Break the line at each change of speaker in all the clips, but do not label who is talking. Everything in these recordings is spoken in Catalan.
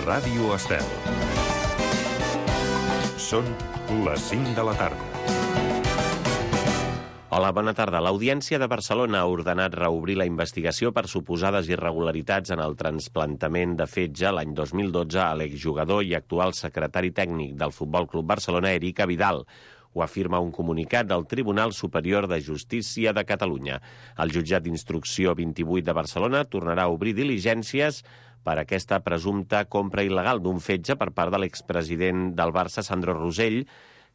Ràdio Estel. Són les 5 de la tarda.
Hola, bona tarda. L'Audiència de Barcelona ha ordenat reobrir la investigació per suposades irregularitats en el trasplantament de fetge l'any 2012 a l'exjugador i actual secretari tècnic del Futbol Club Barcelona, Eric Abidal. Ho afirma un comunicat del Tribunal Superior de Justícia de Catalunya. El jutjat d'instrucció 28 de Barcelona tornarà a obrir diligències per aquesta presumpta compra il·legal d'un fetge per part de l'expresident del Barça, Sandro Rosell,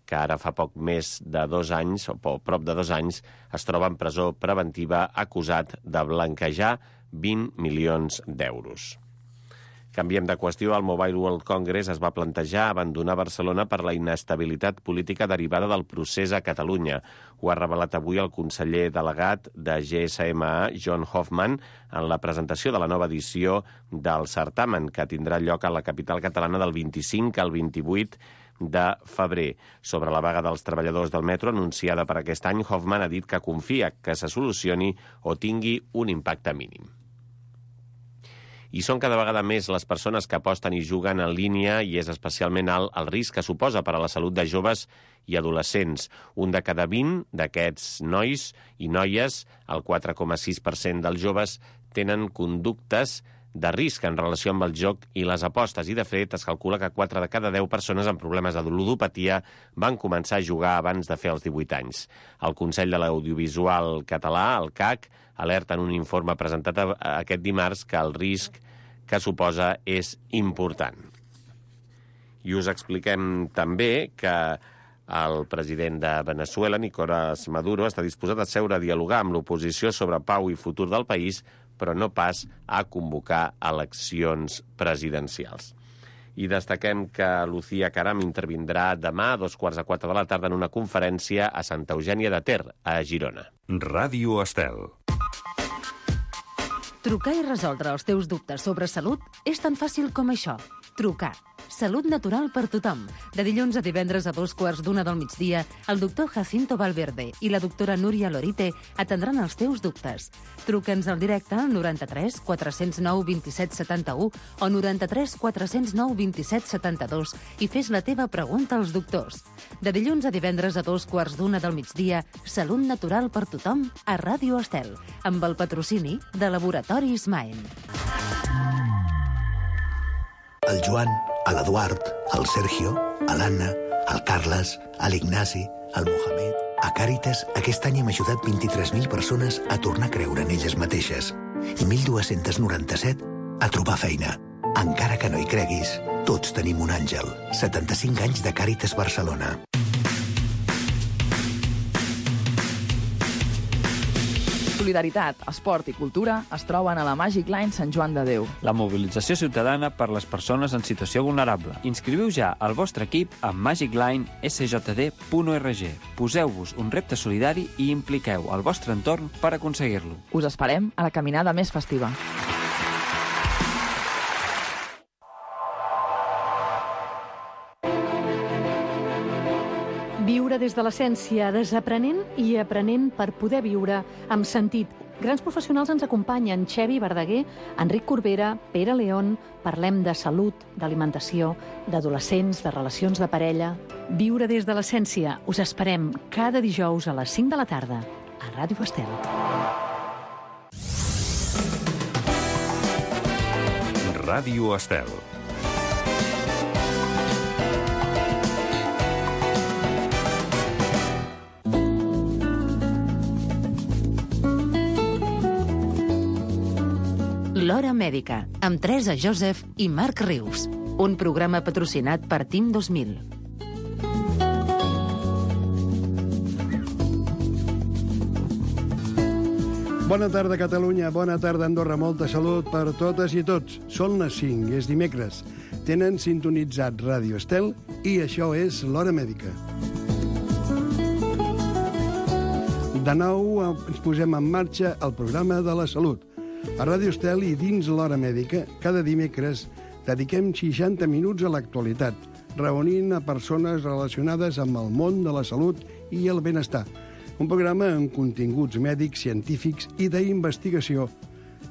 que ara fa poc més de 2 anys, o prop de 2 anys, es troba en presó preventiva acusat de blanquejar 20 milions d'euros. Canviem de qüestió. El Mobile World Congress es va plantejar abandonar Barcelona per la inestabilitat política derivada del procés a Catalunya. Ho ha revelat avui el conseller delegat de GSMA, John Hoffman, en la presentació de la nova edició del certamen, que tindrà lloc a la capital catalana del 25 al 28 de febrer. Sobre la vaga dels treballadors del metro anunciada per aquest any, Hoffman ha dit que confia que se solucioni o tingui un impacte mínim. I són cada vegada més les persones que aposten i juguen en línia i és especialment alt el risc que suposa per a la salut de joves i adolescents. Un de cada 20 d'aquests nois i noies, el 4,6% dels joves, tenen conductes de risc en relació amb el joc i les apostes, i de fet es calcula que 4 de cada 10 persones amb problemes de ludopatia van començar a jugar abans de fer els 18 anys. El Consell de l'Audiovisual Català, el CAC, alerta en un informe presentat aquest dimarts que el risc que suposa és important. I us expliquem també que el president de Venezuela, Nicolás Maduro, està disposat a seure a dialogar amb l'oposició sobre pau i futur del país, però no pas a convocar eleccions presidencials. I destaquem que Lucía Caram intervindrà demà a 3:15 de la tarda en una conferència a Santa Eugènia de Ter, a Girona.
Ràdio Estel.
Trucar i resoldre els teus dubtes sobre salut és tan fàcil com això. Trucar. Salut natural per tothom. De dilluns a divendres a 2:15 del migdia, el doctor Jacinto Valverde i la doctora Núria Lorite atendran els teus dubtes. Truca'ns al directe al 93 409 27 71 o 93 409 27 72 i fes la teva pregunta als doctors. De dilluns a divendres a 2:15 del migdia, Salut natural per tothom a Ràdio Estel, amb el patrocini de Laboratoris Maen.
El Joan, l'Eduard, el Sergio, l'Anna, el Carles, l'Ignasi, el Mohamed... A Càritas, aquest any hem ajudat 23.000 persones a tornar a creure en elles mateixes i 1.297 a trobar feina. Encara que no hi creguis, tots tenim un àngel. 75 anys de Càritas Barcelona.
Solidaritat, esport i cultura es troben a la Magic Line Sant Joan de Déu.
La mobilització ciutadana per les persones en situació vulnerable. Inscriviu ja el vostre equip a magiclinesjd.org. Poseu-vos un repte solidari i impliqueu el vostre entorn per aconseguir-lo.
Us esperem a la caminada més festiva.
Viure des de l'essència, desaprenent i aprenent per poder viure amb sentit. Grans professionals ens acompanyen: Xevi Verdaguer, Enric Corbera, Pere León. Parlem de salut, d'alimentació, d'adolescents, de relacions de parella. Viure des de l'essència. Us esperem cada dijous a les 5 de la tarda a Ràdio Estel.
Ràdio Estel.
L'Hora Mèdica, amb Teresa Joseph i Marc Rius. Un programa patrocinat per Team 2000.
Bona tarda, Catalunya. Bona tarda, Andorra. Molta salut per totes i tots. Són les 5, és dimecres. Tenen sintonitzat Ràdio Estel i això és l'Hora Mèdica. De nou ens posem en marxa el programa de la salut. A Ràdio Estel i dins l'Hora Mèdica, cada dimecres dediquem 60 minuts a l'actualitat, reunint a persones relacionades amb el món de la salut i el benestar. Un programa amb continguts mèdics, científics i d'investigació.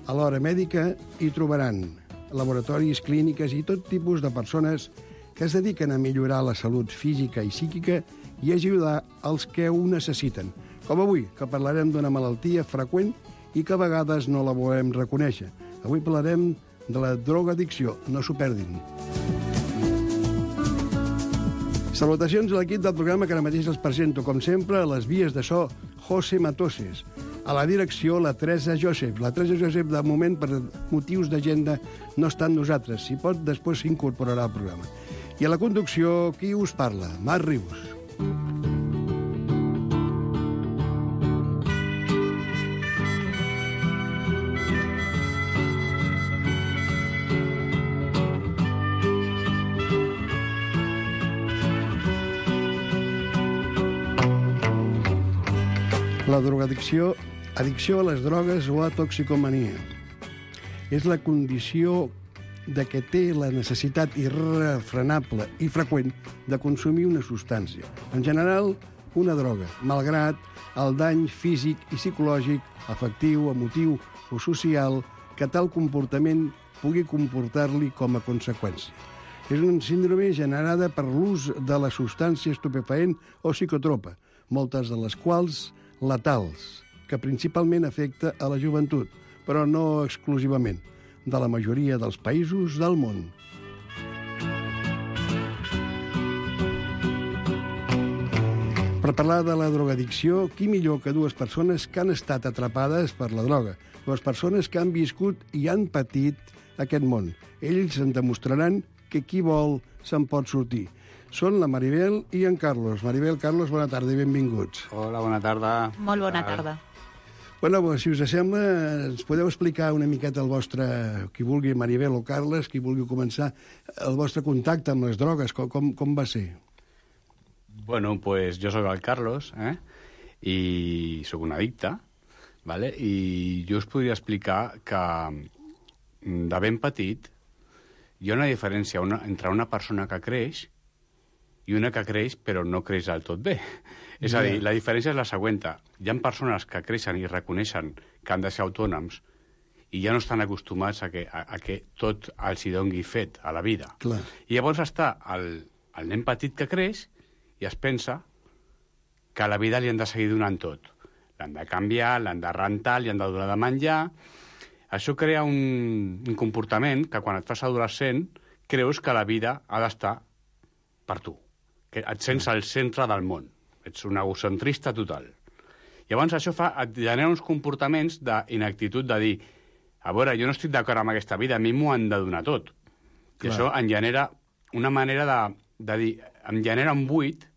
A l'Hora Mèdica hi trobaran laboratoris, clíniques i tot tipus de persones que es dediquen a millorar la salut física i psíquica i ajudar els que ho necessiten. Com avui, que parlarem d'una malaltia freqüent i que a vegades no la volem reconèixer. Avui parlarem de la drogadicció. No s'ho perdin. Salutacions a l'equip del programa que ara mateix els presento, com sempre, a les vies de so, José Matoses. A la direcció, la Teresa Josep. La Teresa Josep, de moment, per motius d'agenda, no està amb nosaltres. Si pot, després s'incorporarà al programa. I a la conducció, qui us parla? Marc Rius. La drogadicció, addicció a les drogues o a toxicomania. És la condició de què té la necessitat irrefrenable i freqüent de consumir una substància. En general, una droga, malgrat el dany físic i psicològic, afectiu, emotiu o social que tal comportament pugui comportar-li com a conseqüència. És una síndrome generada per l'ús de la substància estupefaent o psicotropa, moltes de les quals letals, que principalment afecta a la joventut, però no exclusivament, de la majoria dels països del món. Per parlar de la drogadicció, qui millor que dues persones que han estat atrapades per la droga, dues persones que han viscut i han patit aquest món. Ells en demostraran que qui vol se'n pot sortir. Són la Maribel i en Carlos. Maribel, Carlos, bona tarda i benvinguts.
Hola, bona tarda.
Molt bona tarda.
Bueno, si us sembla, ens podeu explicar una miqueta el vostre, qui vulgui, Maribel o Carles, qui vulgui començar, el vostre contacte amb les drogues, com va ser?
Bueno, pues jo sóc el Carlos, i sóc un addicte, ¿vale? I jo us podria explicar que de ben petit hi ha una diferència entre una persona que creix i una que creix però no creix del tot bé. És a dir, la diferència és la següent. Hi ha persones que creixen i reconeixen que han de ser autònoms i ja no estan acostumats a que tot els hi doni fet a la vida.
Clar.
I llavors està el nen petit que creix i es pensa que a la vida li han de seguir donant tot. L'han de canviar, l'han de rentar, li han de donar de menjar. Això crea un comportament que quan et fas adolescent creus que la vida ha d'estar per tu, que et sents al centre del món. Ets un egocentrista total. Llavors això et genera uns comportaments d'inactitud de dir, a veure, jo no estic d'acord amb aquesta vida, a mi m'ho han de donar tot. I això em genera una manera de dir, em genera un buit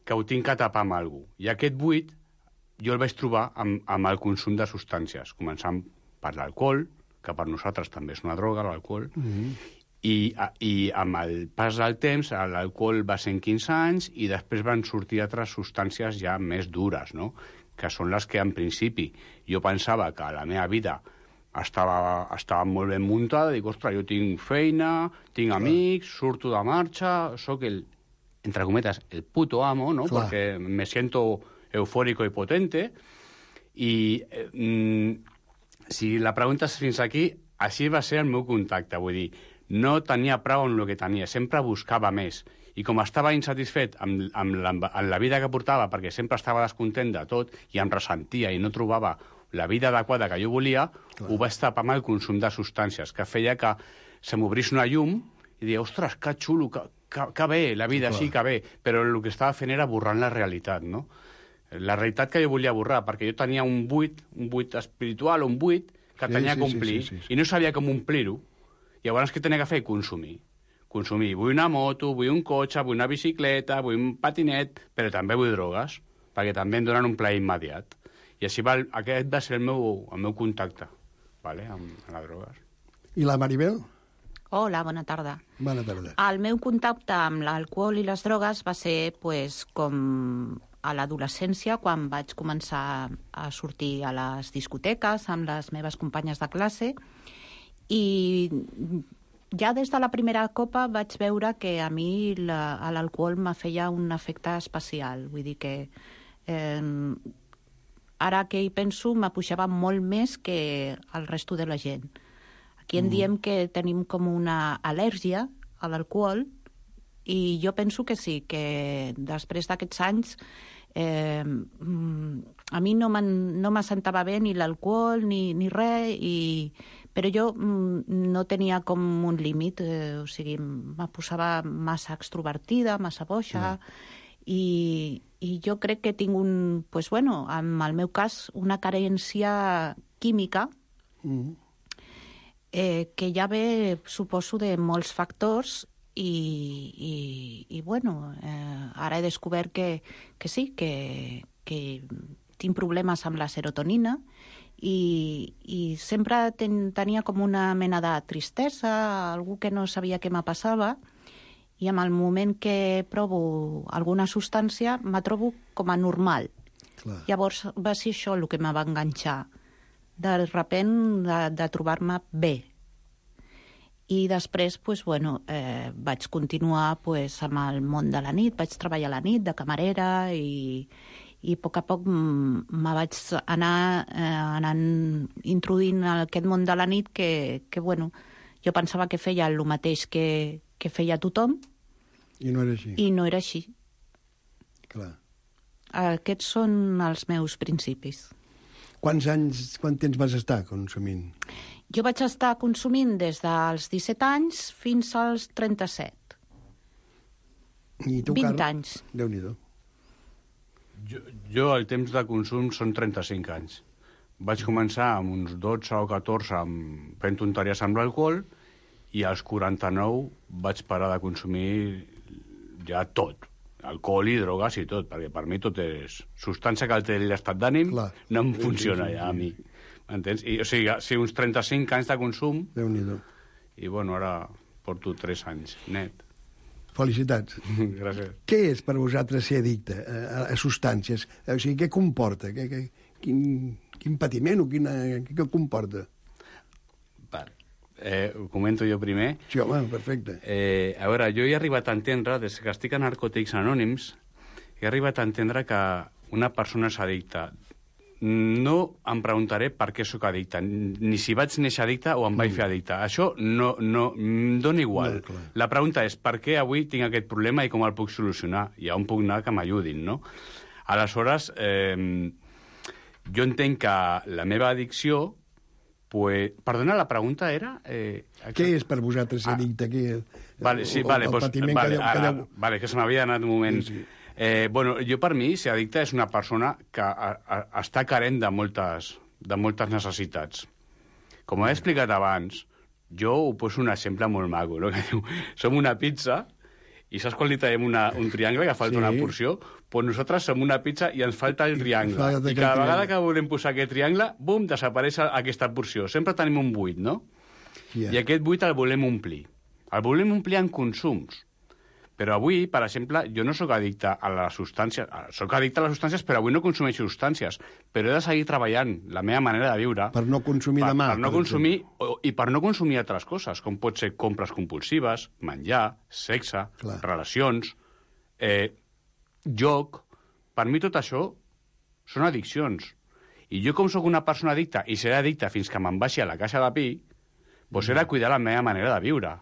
que ho tinc que tapar amb algú. I aquest buit jo el vaig trobar amb el consum de substàncies, començant per l'alcohol, que per nosaltres també és una droga, l'alcohol, i amb el pas del temps l'alcohol va ser en 15 anys i després van sortir altres substàncies ja més dures, no? Que són les que en principi jo pensava que la meva vida estava molt ben muntada, dic, ostres, jo tinc feina, tinc amics, surto de marxa, sóc entre cometes, el puto amo, ¿no?
Clar.
Porque me siento eufórico y potente. I si la pregunta és fins aquí, així va ser el meu contacte, vull dir, no tenia prou amb el que tenia, sempre buscava més. I com estava insatisfet amb la vida que portava, perquè sempre estava descontent de tot i em ressentia i no trobava la vida adequada que jo volia, ho vaig tapar amb el consum de substàncies, que feia que se m'obrís una llum i deia, ostres, que xulo, que bé, la vida sí que bé, però el que estava fent era borrant la realitat, no? La realitat que jo volia borrar, perquè jo tenia un buit espiritual, un buit que tenia que omplir, i no sabia com omplir-ho. Llavors, què tenia que fer? Consumir. Vull una moto, vull un cotxe, vull una bicicleta, vull un patinet, però també vull drogues, perquè també em donen un plaer immediat. I així aquest va ser el meu contacte, ¿vale? amb les drogues.
I la Maribel?
Hola, bona tarda.
Bona tarda.
El meu contacte amb l'alcohol i les drogues va ser com a l'adolescència, quan vaig començar a sortir a les discoteques amb les meves companyes de classe, i ja des de la primera copa vaig veure que a mi l'alcohol me feia un efecte especial. Vull dir que ara que hi penso, m'apujava molt més que el resto de la gent. Aquí en diem que tenim com una al·lèrgia a l'alcohol i jo penso que sí, que després d'aquests anys a mi no m'assentava bé ni l'alcohol ni res, però jo no tenia com un límit, o sigui, me posava massa extrovertida, massa boixa, i jo crec que tinc en el meu cas, una carència química que ja ve, suposo, de molts factors i ara he descobert que sí, que tinc problemes amb la serotonina i sempre tenia com una mena de tristesa, algú que no sabia què me passava, i en el moment que provo alguna substància me trobo com a normal. Clar. Llavors va ser això el que me va enganxar, de repent de trobar-me bé. I després, vaig continuar amb el món de la nit, vaig treballar a la nit de camarera i a poc me vaig anar introduint en aquest món de la nit que jo pensava que feia el mateix que feia tothom.
I no era així.
I no era així.
Clar.
Aquests són els meus principis.
Quant temps vas estar consumint?
Jo vaig estar consumint des dels 17 anys fins als 37.
I tu,
20 anys.
Déu-n'hi-do.
Jo el temps de consum són 35 anys. Vaig començar amb uns 12 o 14 fent tonteries amb l'alcohol i als 49 vaig parar de consumir ja tot. Alcohol i drogues i tot, perquè per mi tot és substància que alteri l'estat d'ànim, no em funciona ja a mi. M'entens? O sigui, uns 35 anys de consum, i ara porto 3 anys net.
Felicitats.
Gràcies.
Què és per vosaltres ser addicte a substàncies? O sigui, què comporta? Quin patiment o què comporta?
Ho comento jo primer.
Sí, home, perfecte.
A veure, jo he arribat a entendre, des que estic a Narcòtics Anònims, he arribat a entendre que una persona és addicta. No em preguntaré per què sóc addicte, ni si vaig néixer addicte o em vaig fer addicte. Això no em dona igual. No, la pregunta és per què avui tinc aquest problema i com el puc solucionar, i on puc anar que m'ajudin, no? Aleshores, jo entenc que la meva addicció... Perdona, la pregunta era...
Què és per vosaltres ser addicte?
Vale, que se m'havia anat un moment. Sí. Jo, per mi, ser addicte és una persona que està carent de moltes necessitats. Com he explicat abans, jo ho poso un exemple molt maco, no? Que diu, som una pizza i saps quan li traiem un triangle que falta una porció? Doncs nosaltres som una pizza i ens falta el triangle. I cada vegada que volem posar aquest triangle, bum, desapareix aquesta porció. Sempre tenim un buit, no? I aquest buit el volem omplir. El volem omplir en consums. Però avui, per exemple, jo no sóc addicte a les substàncies. Sóc addicte a les substàncies, però avui no consumeixo substàncies. Però he de seguir treballant la meva manera de viure...
Per no consumir demà.
Per no consumir, i per no consumir altres coses, com pot ser compres compulsives, menjar, sexe, relacions, joc... Per mi tot això són addiccions. I jo, com sóc una persona addicta, i seré addicta fins que me'n baixi a la caixa de pi, doncs he de cuidar la meva manera de viure.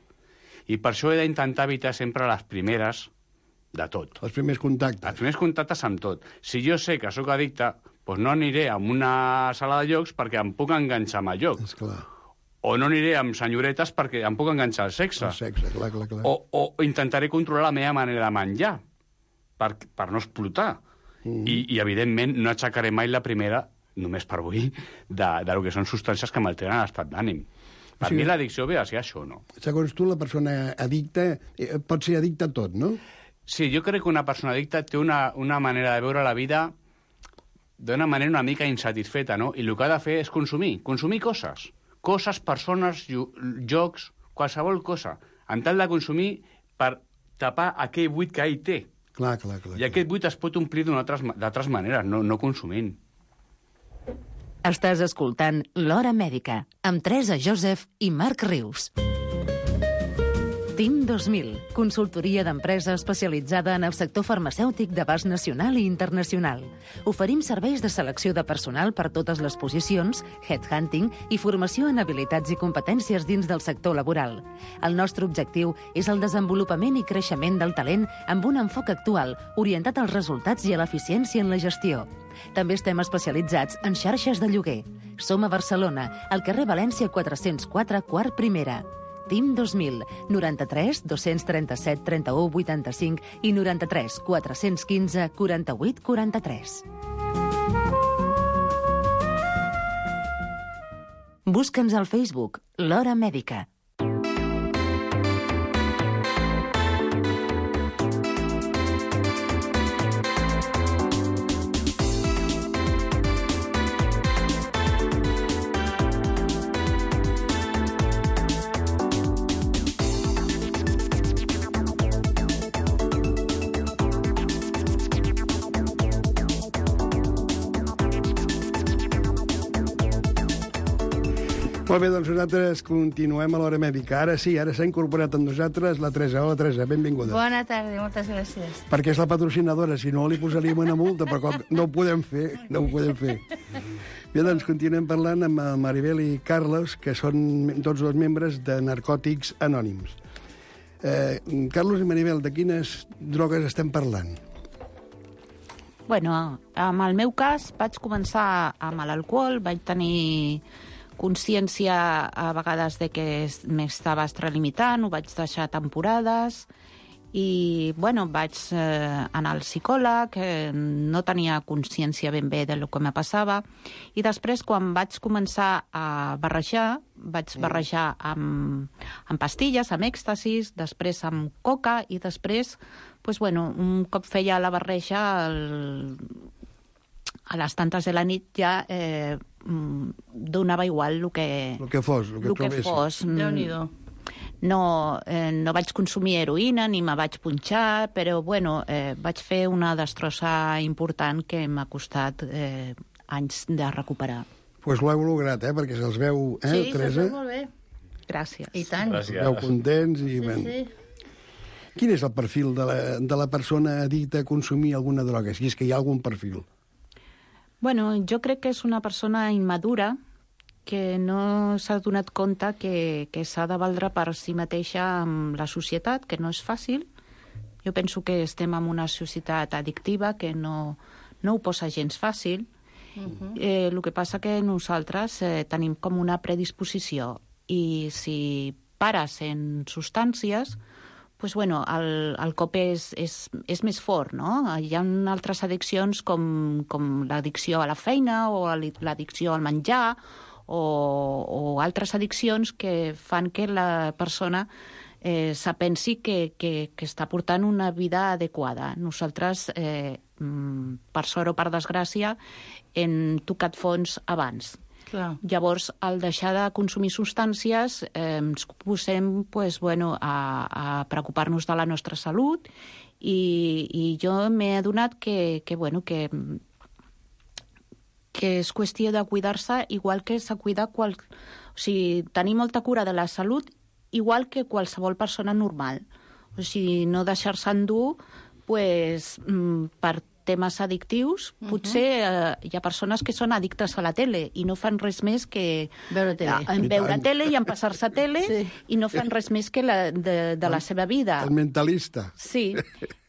I per això he d'intentar evitar sempre les primeres de tot.
Els primers contactes.
Els primers contactes amb tot. Si jo sé que sóc addicte, doncs no aniré a una sala de jocs perquè em puc enganxar amb el joc.
Esclar.
O no aniré amb senyoretes perquè em puc enganxar al sexe.
El sexe, clar.
O intentaré controlar la meva manera de menjar per no explotar. I, evidentment, no aixecaré mai la primera, només per avui, del que són substàncies que m'alteren l'estat d'ànim. Per mi l'addicció ve a ser això, no?
Segons tu, la persona addicta pot ser addicta a tot, no?
Sí, jo crec que una persona addicta té una manera de veure la vida d'una manera una mica insatisfeta, no? I el que ha de fer és consumir coses. Coses, persones, jocs, qualsevol cosa. En tal de consumir per tapar aquell buit que ell té.
Clar.
I aquest buit es pot omplir d'altres maneres, no consumint.
Estàs escoltant L'Hora Mèdica, amb Teresa Joseph i Marc Rius. TIM 2000, consultoria d'empresa especialitzada en el sector farmacèutic d'abast nacional i internacional. Oferim serveis de selecció de personal per totes les posicions, headhunting i formació en habilitats i competències dins del sector laboral. El nostre objectiu és el desenvolupament i creixement del talent amb un enfoc actual, orientat als resultats i a l'eficiència en la gestió. També estem especialitzats en xarxes de lloguer. Som a Barcelona, al carrer València 404, quart primera. TIM 2000, 93 237 31 85 i 93 415 48 43. Busca'ns al Facebook, l'Hora Mèdica.
Molt bé, doncs nosaltres continuem a l'Hora Mèdica. Ara sí, ara s'ha incorporat amb nosaltres la Teresa. Hola, Teresa, benvinguda.
Bona tarda, moltes gràcies.
Perquè és la patrocinadora, si no li posaríem una multa, però no ho podem fer, no ho podem fer. Bé, doncs continuem parlant amb Maribel i Carlos, que són tots dos membres de Narcòtics Anònims. Carlos i Maribel, de quines drogues estem parlant?
Bueno, en el meu cas vaig començar amb l'alcohol, vaig tenir consciència a vegades de que m'estava extralimitant, ho vaig deixar temporades i, bueno, vaig anar al psicòleg, no tenia consciència ben bé del que me passava i després, quan vaig començar a barrejar, vaig barrejar amb pastilles, amb èxtasis, després amb coca i després, pues, bueno, un cop feia la barreja, a les tantes de la nit ja donava igual el que
fos.
Déu-n'hi-do.
No vaig consumir heroïna ni me vaig punxar, però bueno, vaig fer una destrossa important que m'ha costat anys de recuperar.
Pues l'heu lograt, perquè se'ls veu,
Sí,
Teresa?
se'ls veu molt bé.
Gràcies.
I tant.
Els veu contents i...
Sí.
Quin és el perfil de la persona addicta a consumir alguna droga, si és que hi ha algun perfil?
Bueno, jo crec que és una persona immadura que no s'ha donat compte que s'ha de valdre per si mateixa amb la societat, que no és fàcil. Jo penso que estem en una societat addictiva que no ho posa gens fàcil. El que passa que nosaltres tenim com una predisposició i si pares en substàncies, pues bueno, el cop és més fort, no? Hi ha altres addiccions com l'addicció a la feina o l'addicció al menjar o altres addiccions que fan que la persona se pensi que està portant una vida adequada. Nosaltres, per sort o per desgràcia, hem tocat fons abans.
Clar.
Llavors, al deixar de consumir substàncies, ens posem a preocupar-nos de la nostra salut i jo m'he adonat que és qüestió de cuidar-se igual que s'ha cuidat o sigui, tenir molta cura de la salut igual que qualsevol persona normal. O sigui, no deixar-se endur per temes addictius. Potser hi ha persones que són addictes a la tele i no fan res més que
veure
tele i empassar-se tele i no fan res més que de la seva vida.
El mentalista.
Sí.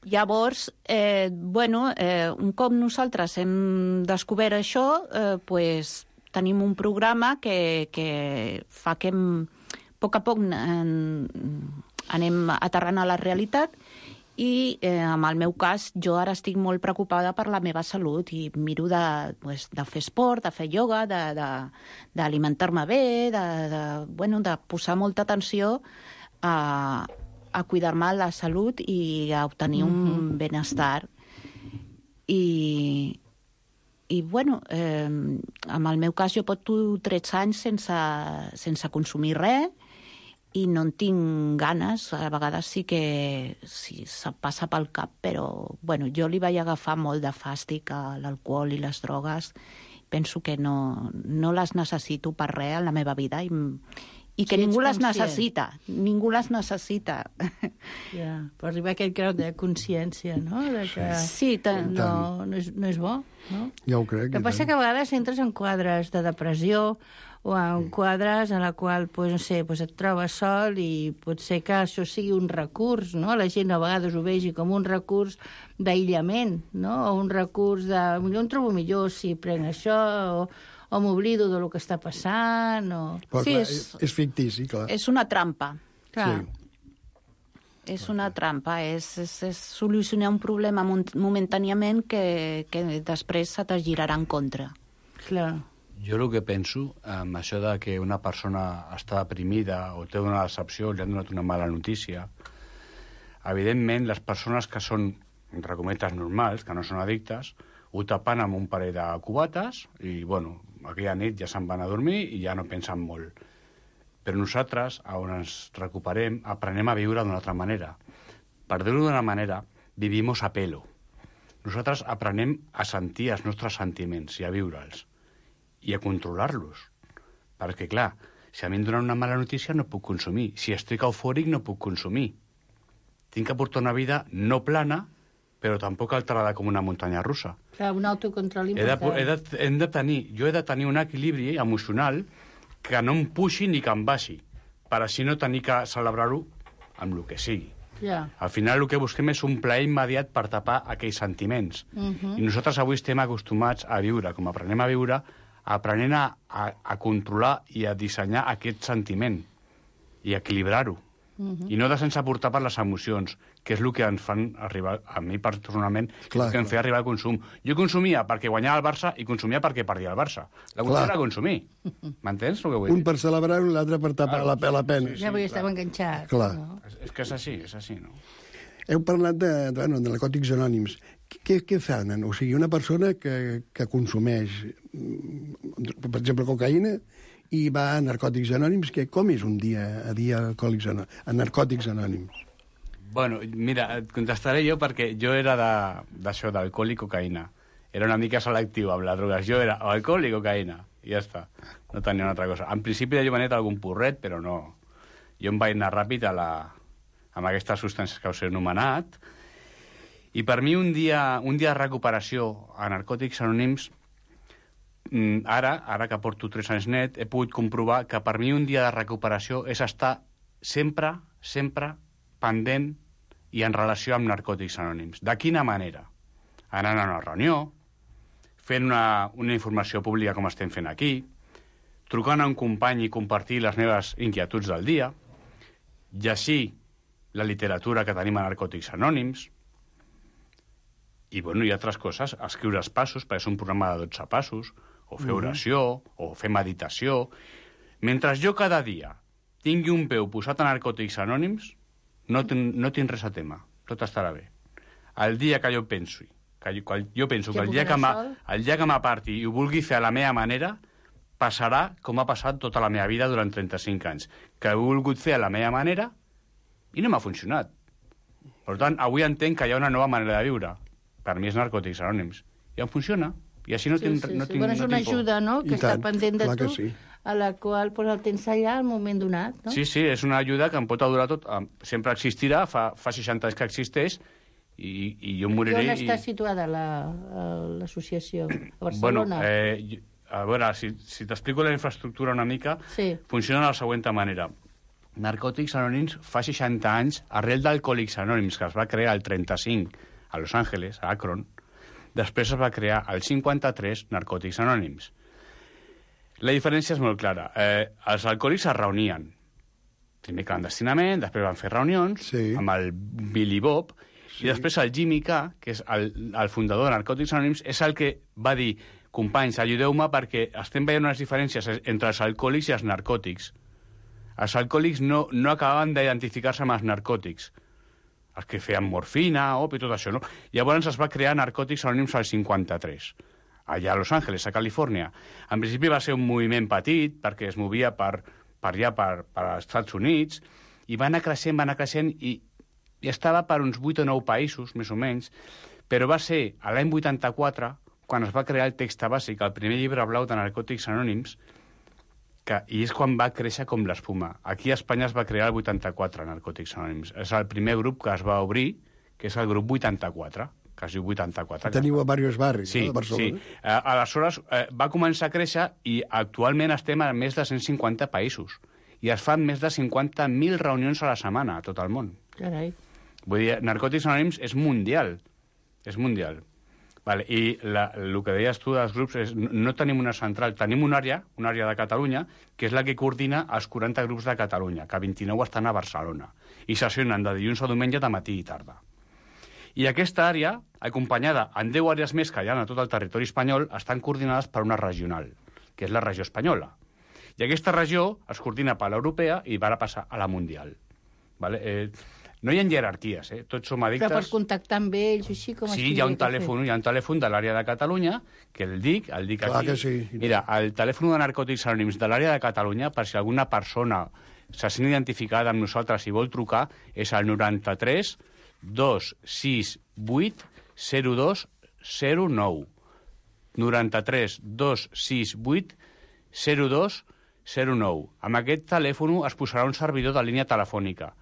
Llavors, un cop nosaltres hem descobert això, tenim un programa que fa que a poc anem aterrant a la realitat i en el meu cas jo ara estic molt preocupada per la meva salut i miro de fer esport, de fer ioga, d'alimentar-me bé, de posar molta atenció a cuidar-me la salut i a obtenir un benestar. I en el meu cas jo porto 13 anys sense consumir res i no en tinc ganes. A vegades sí que se'm passa pel cap, però jo li vaig agafar molt de fàstic a l'alcohol i les drogues. Penso que no les necessito per res en la meva vida i que
Si ets
ningú les
conscient.
necessita. Ningú les necessita.
Ja, per arribar a aquest grau de consciència, no? De que
Sí,
no és bo, no?
Ja ho crec.
El que passa que a vegades entres en quadres de depressió o en quadres en la qual, pues, no sé, pues et trobes sol i pot ser que això sigui un recurs, no? La gent a vegades ho vegi com un recurs d'aïllament, no? O un recurs de... Jo em trobo millor si prenc això, o m'oblido del que està passant, o...
Però,
Sí,
clar, és fictici, clar.
És una trampa.
Clar.
És una trampa, és solucionar un problema momentàniament que després se te girarà en contra.
Clar.
Jo el que penso, amb això de que una persona està deprimida o té una decepció, li han donat una mala notícia, evidentment les persones que són, entre cometes, normals, que no són addictes, ho tapen amb un parell de cubates i, bueno, aquella nit ja se'n van a dormir i ja no pensen molt. Però nosaltres, on ens recuperem, aprenem a viure d'una altra manera. Per dir-ho d'una manera, vivimos a pelo. Nosaltres aprenem a sentir els nostres sentiments i a viure'ls i a controlar-los. Perquè, clar, si a mi em donen una mala notícia no puc consumir. Si estic eufòric no puc consumir. Tinc que portar una vida no plana, però tampoc alterada com una muntanya russa.
Clar, un autocontrol important.
Jo he de tenir un equilibri emocional que no em puixi ni que em baixi, per així no tenir que celebrar-ho amb el que sigui.
Ja.
Al final el que busquem és un plaer immediat per tapar aquells sentiments. I nosaltres avui estem acostumats a viure, com aprenem a viure, aprenent a controlar i a dissenyar aquest sentiment i a equilibrar-ho. I no de sense portar per les emocions, que és el que ens fan arribar, a mi personalment, que em feia arribar al consum. Jo consumia perquè guanyava el Barça i consumia perquè perdia el Barça. La qüestió era consumir. M'entens el que vull dir?
Un per celebrar i l'altre per tapar la pena.
Ja vull estar enganxat.
Clar.
No?
És que és així, no?
Heu parlat de narcòtics anònims. Què fan? O sigui, una persona que consumeix, per exemple, cocaïna, i va a narcòtics anònims, com és un dia a narcòtics anònims?
Bueno, mira, et contestaré jo perquè jo era d'això, d'alcohol i cocaïna. Era una mica selectiu amb les drogues. Jo era alcohol i cocaïna, i ja està. No tenia una altra cosa. En principi de jovenet algun porret, però no. Jo em vaig anar ràpid amb aquestes substàncies que us he anomenat. I per mi un dia de recuperació a narcòtics anònims, ara que porto 3 anys net, he pogut comprovar que per mi un dia de recuperació és estar sempre pendent i en relació amb narcòtics anònims. De quina manera? Anant a una reunió, fent una informació pública com estem fent aquí, trucant a un company i compartir les meves inquietuds del dia, llegir la literatura que tenim a narcòtics anònims, i, bueno, hi ha altres coses, escriure els passos, perquè és un programa de 12 passos, o fer oració, o fer meditació. Mentre jo cada dia tingui un peu posat a narcòtics anònims, no tinc res a tema, tot estarà bé. El dia que jo penso que el dia que m'aparti i ho vulgui fer a la meva manera, passarà com ha passat tota la meva vida durant 35 anys, que he volgut fer a la meva manera i no m'ha funcionat. Per tant, avui entenc que hi ha una nova manera de viure. Per mi és narcòtics anònims. I em funciona. I així no tinc
Bueno, és una ajuda, no?, que està pendent de tu,
sí.
a la qual el tens allà al moment donat, no?
Sí, és una ajuda que em pot durar tot. Sempre existirà, fa 60 anys que existeix, i jo moriré...
I on està situada l'associació? A Barcelona?
Bueno, a veure, si t'explico la infraestructura una mica, funciona de la següent manera. Narcòtics Anònims fa 60 anys, arrel d'Alcohòlics Anònims, que es va crear el 35 a Los Angeles, a Akron, després es va crear el 53 Narcòtics Anònims. La diferència és molt clara. Els alcohòlics es reunien, primer clandestinament, després van fer reunions amb el Billy Bob, i després el Jimmy K, que és el fundador de Narcòtics Anònims, és el que va dir: companys, ajudeu-me perquè estem veient unes diferències entre els alcohòlics i els narcòtics. Els alcohòlics no acabaven d'identificar-se amb els narcòtics, els que feien morfina, i tot això, no? Llavors es va crear Narcòtics Anònims al 53, allà a Los Angeles, a Califòrnia. En principi va ser un moviment petit, perquè es movia per allà, per als Estats Units, i va anar creixent, i estava per uns 8 o 9 països, més o menys, però va ser a l'any 84, quan es va crear el text bàsic, el primer llibre blau de Narcòtics Anònims, I és quan va créixer com l'espuma. Aquí a Espanya es va crear el 84, Narcòtics Anònims. És el primer grup que es va obrir, que és el grup 84, que es diu 84.
Teniu a diversos barris,
sí,
no, de Barcelona?
Sí, aleshores va començar a créixer i actualment estem a més de 150 països. I es fan més de 50.000 reunions a la setmana a tot el món.
Carai.
Vull dir, Narcòtics Anònims és mundial. És mundial. Vale, i el que deies tu dels grups és no tenim una central, tenim una àrea de Catalunya, que és la que coordina els 40 grups de Catalunya, que 29 estan a Barcelona, i sessionen de dilluns a diumenge de matí i tarda. I aquesta àrea, acompanyada en 10 àrees més que hi ha a tot el territori espanyol, estan coordinades per una regional, que és la regió espanyola. I aquesta regió es coordina per l'europea i va passar a la mundial. Vale? No hi ha jerarquies, tots som addictes...
Però pots contactar amb ells, així com...
Sí, hi ha un telèfon de l'àrea de Catalunya, que el dic
Clar
aquí.
Que sí.
Mira, el telèfon de Narcòtics Anònims de l'àrea de Catalunya, per si alguna persona se sent identificada amb nosaltres i vol trucar, és el 93 268 0209. 93 268 0209. Amb aquest telèfon es posarà un servidor de línia telefònica.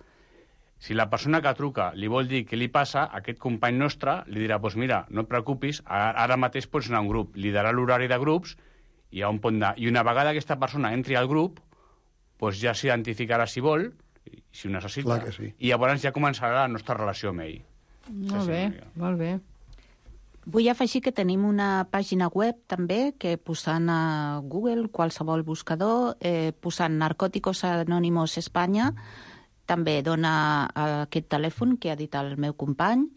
Si la persona que truca li vol dir què li passa, aquest company nostre li dirà, doncs mira, no et preocupis, ara mateix pots anar a un grup. Li darà l'horari de grups i on pot anar. I una vegada aquesta persona entri al grup, doncs ja s'identificarà si vol, si ho necessita,
Clar que sí.
I llavors ja començarà la nostra relació amb ell.
Molt bé, molt bé.
Vull afegir que tenim una pàgina web també que posant a Google, qualsevol buscador, posant Narcóticos Anónimos Espanya, també dona aquest telèfon que ha dit el meu company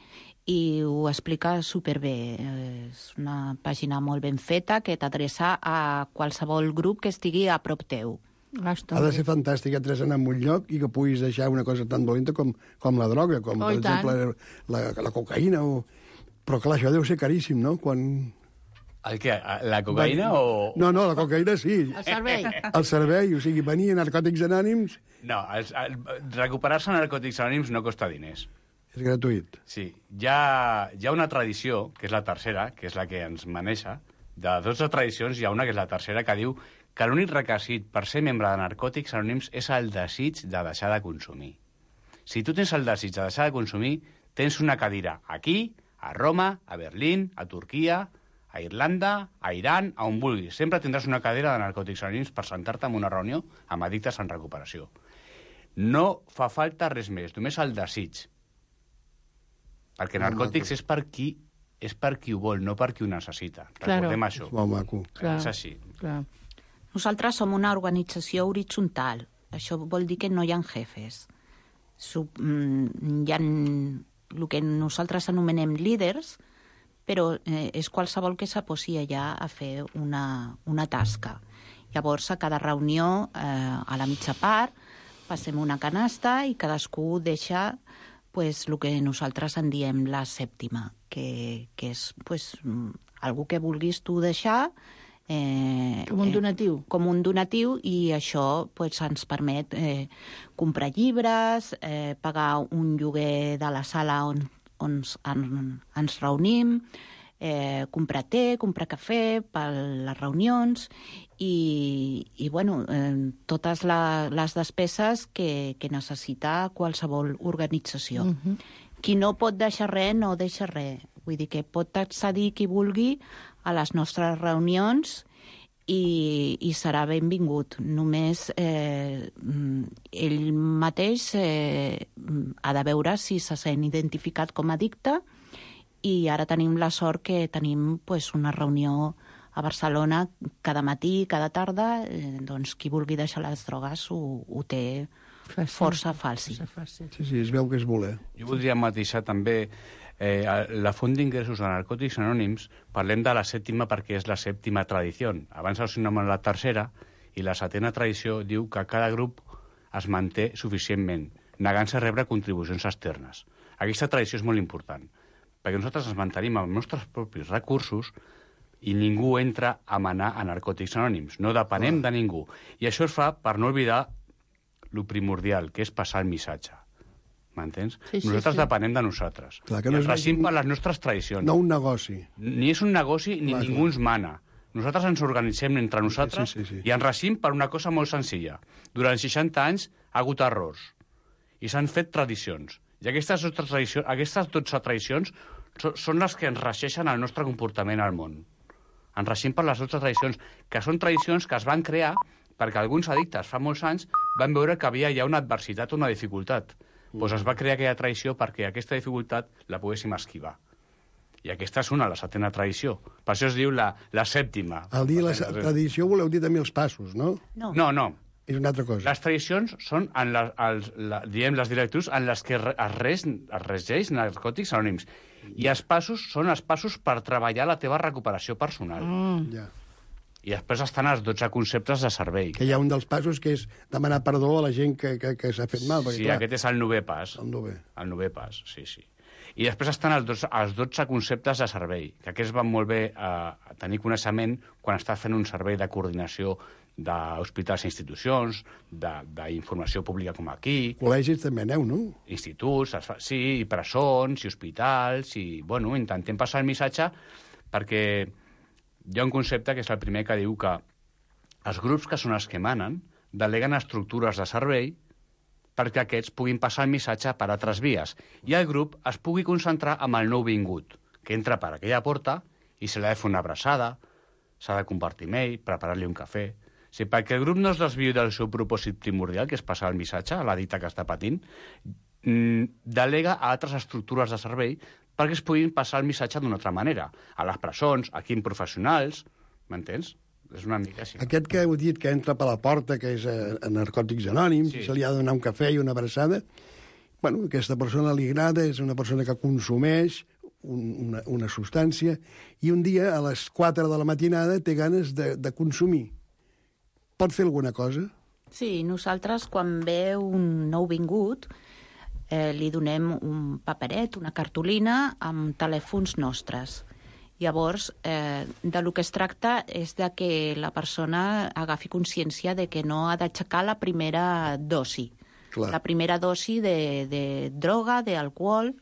i ho explica superbé. És una pàgina molt ben feta que t'adreça a qualsevol grup que estigui a prop teu.
Ha de ser fantàstic entres en un lloc i que puguis deixar una cosa tan dolenta com la droga, com per exemple la cocaïna. Però clar, això deu ser caríssim, no?
El què? La cocaïna o...?
No, la cocaïna sí.
El servei.
El servei, o sigui, venir a Narcòtics Anònims...
No, recuperar-se a Narcòtics Anònims no costa diners.
És gratuït.
Sí. Hi ha una tradició, que és la tercera, que és la que ens maneja. De 12 tradicions hi ha una, que és la tercera, que diu que l'únic requisit per ser membre de Narcòtics Anònims és el desig de deixar de consumir. Si tu tens el desig de deixar de consumir, tens una cadira aquí, a Roma, a Berlín, a Turquia, a Irlanda, a Iran, a on vulguis. Sempre tindràs una cadira de Narcòtics Anònims per sentar-te en una reunió amb addictes en recuperació. No fa falta res més, només el desig. Perquè Narcòtics és per qui ho vol, no per qui ho necessita. Recordem això.
És molt maco.
És així.
Clar.
Nosaltres som una organització horitzontal. Això vol dir que no hi ha jefes. Hi ha el que nosaltres anomenem líders, però és qualsevol que s'aposi allà a fer una tasca. Llavors, a cada reunió, a la mitja part, passem una canasta i cadascú deixa el que nosaltres en diem la sèptima, que és algú que vulguis tu deixar
com un donatiu.
Com un donatiu, i això ens permet comprar llibres, pagar un lloguer de la sala on ens reunim, comprar té, comprar cafè per les reunions i totes les despeses que necessita qualsevol organització. Qui no pot deixar res, no deixa res. Vull dir que pot accedir qui vulgui a les nostres reunions i serà benvingut. Només ell mateix ha de veure si se sent identificat com a addicte, i ara tenim la sort que tenim una reunió a Barcelona cada matí, cada tarda. Doncs qui vulgui deixar les drogues ho té força fàcil.
Sí, es veu que és voler.
Jo voldria matisar també la font d'ingressos de Narcòtics Anònims. Parlem de la sèptima perquè és la sèptima tradició. Abans els anomenem la tercera, i la setena tradició diu que cada grup es manté suficientment, negant-se a rebre contribucions externes. Aquesta tradició és molt important, perquè nosaltres ens mantenim amb els nostres propis recursos i ningú entra a manar a Narcòtics Anònims. No depenem de ningú. I això es fa per no oblidar lo primordial, que és passar el missatge. M'entens? Nosaltres depenem de nosaltres.
Clar, que no
regim per les nostres tradicions.
No un negoci.
Ni és un negoci, ni ningú ens mana. Nosaltres ens organitzem entre nosaltres i ens regim per una cosa molt senzilla. Durant 60 anys ha hagut errors i s'han fet tradicions. I aquestes 12 tradicions són les que ens regeixen el nostre comportament al món. Ens regim per les 12 tradicions, que són tradicions que es van crear perquè alguns addictes fa molts anys van veure que havia ja una adversitat o una dificultat. Doncs es va crear aquella tradició perquè aquesta dificultat la poguéssim esquivar. I aquesta és la 7a tradició. Per això es diu la 7a.
Al dir la tradició voleu dir també els passos, no?
No.
És una altra cosa.
Les tradicions són, diem, les directrius en les que es regeix Narcòtics Anònims. I els passos són els passos per treballar la teva recuperació personal.
Ja.
I després estan els 12 conceptes de servei.
Que hi ha un dels passos que és demanar perdó a la gent que s'ha fet mal. Perquè,
sí, clar, aquest és el 9è pas. El 9è pas, sí. I després estan els 12 conceptes de servei, que aquests van molt bé a tenir coneixement quan estàs fent un servei de coordinació d'hospitals i institucions, d'informació pública com aquí.
Col·legis també aneu, no?
Instituts, sí, i presons, i hospitals, i, bueno, intentem passar el missatge perquè hi ha un concepte que és el primer que diu que els grups que són els que manen deleguen estructures de servei perquè aquests puguin passar el missatge per altres vies i el grup es pugui concentrar amb el nou vingut, que entra per aquella porta i se li ha de fer una abraçada, s'ha de compartir amb ell, preparar-li un cafè. Sí, perquè el grup no es desviï del seu propòsit primordial, que és passar el missatge a l'addicte que està patint, delega a altres estructures de servei perquè es puguin passar el missatge d'una altra manera. A les presons, aquí en professionals, m'entens? És una mica així.
Aquest que heu dit que entra per la porta, que és a Narcòtics Anònims, sí. Se li ha de donar un cafè i una abraçada, bueno, aquesta persona li agrada, és una persona que consumeix una substància, i un dia, a les 4 de la matinada, té ganes de consumir. Pot fer alguna cosa?
Sí, nosaltres, quan ve un nou vingut, li donem un paperet, una cartolina, amb telèfons nostres. Llavors, de lo que es tracta és de que la persona agafi consciència de que no ha d'aixecar la primera dosi.
Clar.
La primera dosi de droga, d'alcohol,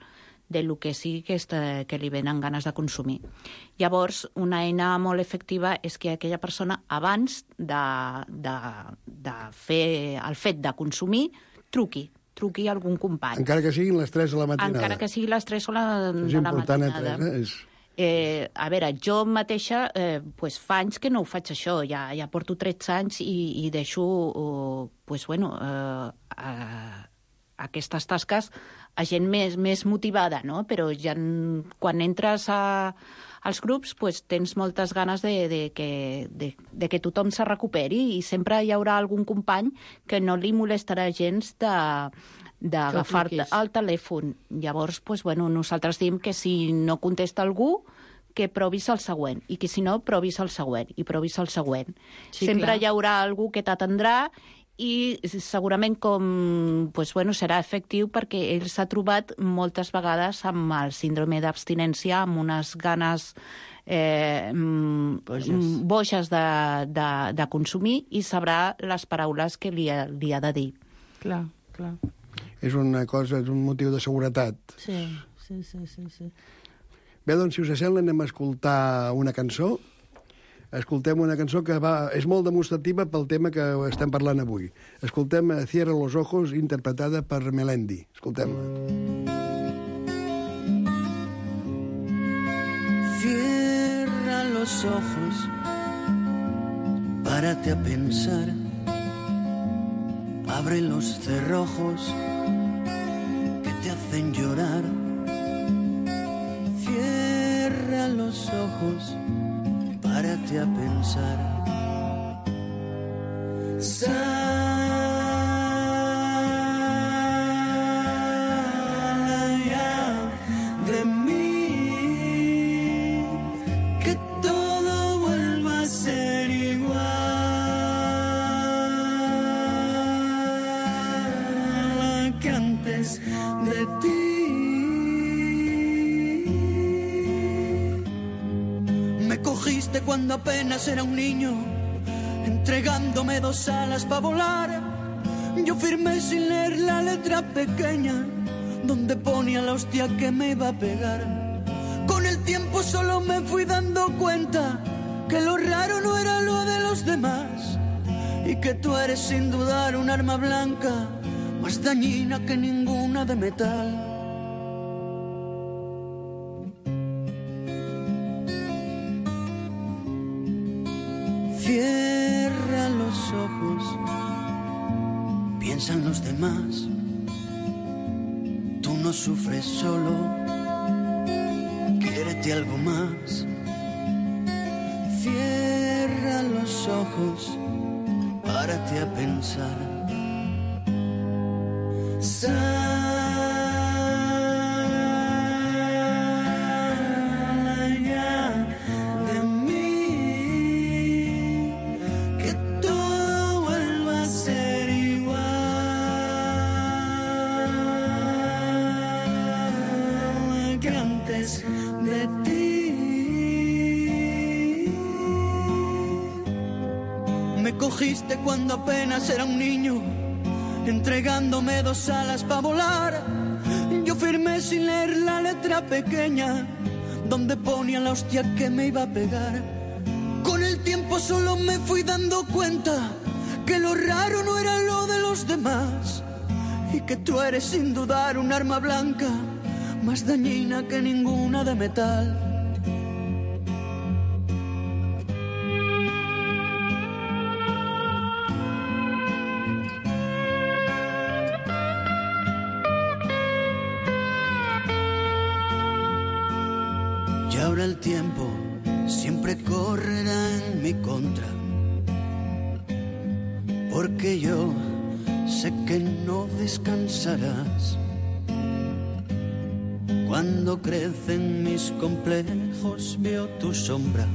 de lo que sigui que li venen ganes de consumir. Llavors, una eina molt efectiva és que aquella persona, abans de fer el fet de consumir, truqui a algun company.
Encara que siguin les 3 de la matinada.
Encara que sigui les 3 de la matinada.
És important,
a veure, jo mateixa fa anys que no ho faig això, ja porto 13 anys i deixo aquestes tasques a gent més motivada, no? Però ja quan entres als grups tens moltes ganes de que tothom se recuperi i sempre hi haurà algun company que no li molestarà gens d'agafar-te el telèfon. Llavors, nosaltres diem que si no contesta algú, que provis el següent, i que si no, provis el següent, i provis el següent. Sí, sempre hi haurà algú que t'atendrà i segurament serà efectiu perquè ell s'ha trobat moltes vegades amb el síndrome d'abstinència, amb unes ganes boges de consumir i sabrà les paraules que li ha de dir.
Clar.
És una cosa, és un motiu de seguretat.
Sí.
Bé, doncs, si us sembla, anem a escoltar una cançó. Escoltem una cançó que és molt demostrativa pel tema que estem parlant avui. Escoltem Cierra los ojos, interpretada per Melendi. Escoltem-la.
Cierra los ojos, párate a pensar, abre los cerrojos que te hacen llorar. Cierra los ojos, párate a pensar. Salga de mí, que todo vuelva a ser igual que antes de ti. Cogiste cuando apenas era un niño, entregándome 2 alas para volar. Yo firmé sin leer la letra pequeña, donde ponía la hostia que me iba a pegar. Con el tiempo solo me fui dando cuenta que lo raro no era lo de los demás y que tú eres sin dudar un arma blanca más dañina que ninguna de metal. Cierra los ojos, piensa en los demás. Tú no sufres solo, quiérete algo más. Cierra los ojos, párate a pensar. Cogiste cuando apenas era un niño, entregándome 2 alas para volar. Yo firmé sin leer la letra pequeña, donde ponía la hostia que me iba a pegar. Con el tiempo solo me fui dando cuenta que lo raro no era lo de los demás y que tú eres sin dudar un arma blanca más dañina que ninguna de metal. Y ahora el tiempo siempre correrá en mi contra, porque yo sé que no descansarás. Cuando crecen mis complejos veo tu sombra,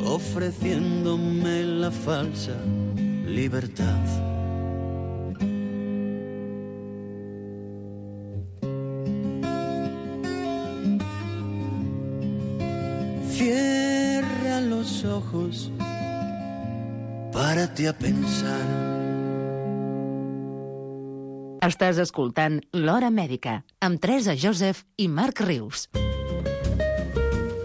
ofreciéndome la falsa libertad. Cierra los ojos, párate a pensar.
Estàs escoltant L'Hora Mèdica, amb Teresa Joseph i Marc Rius.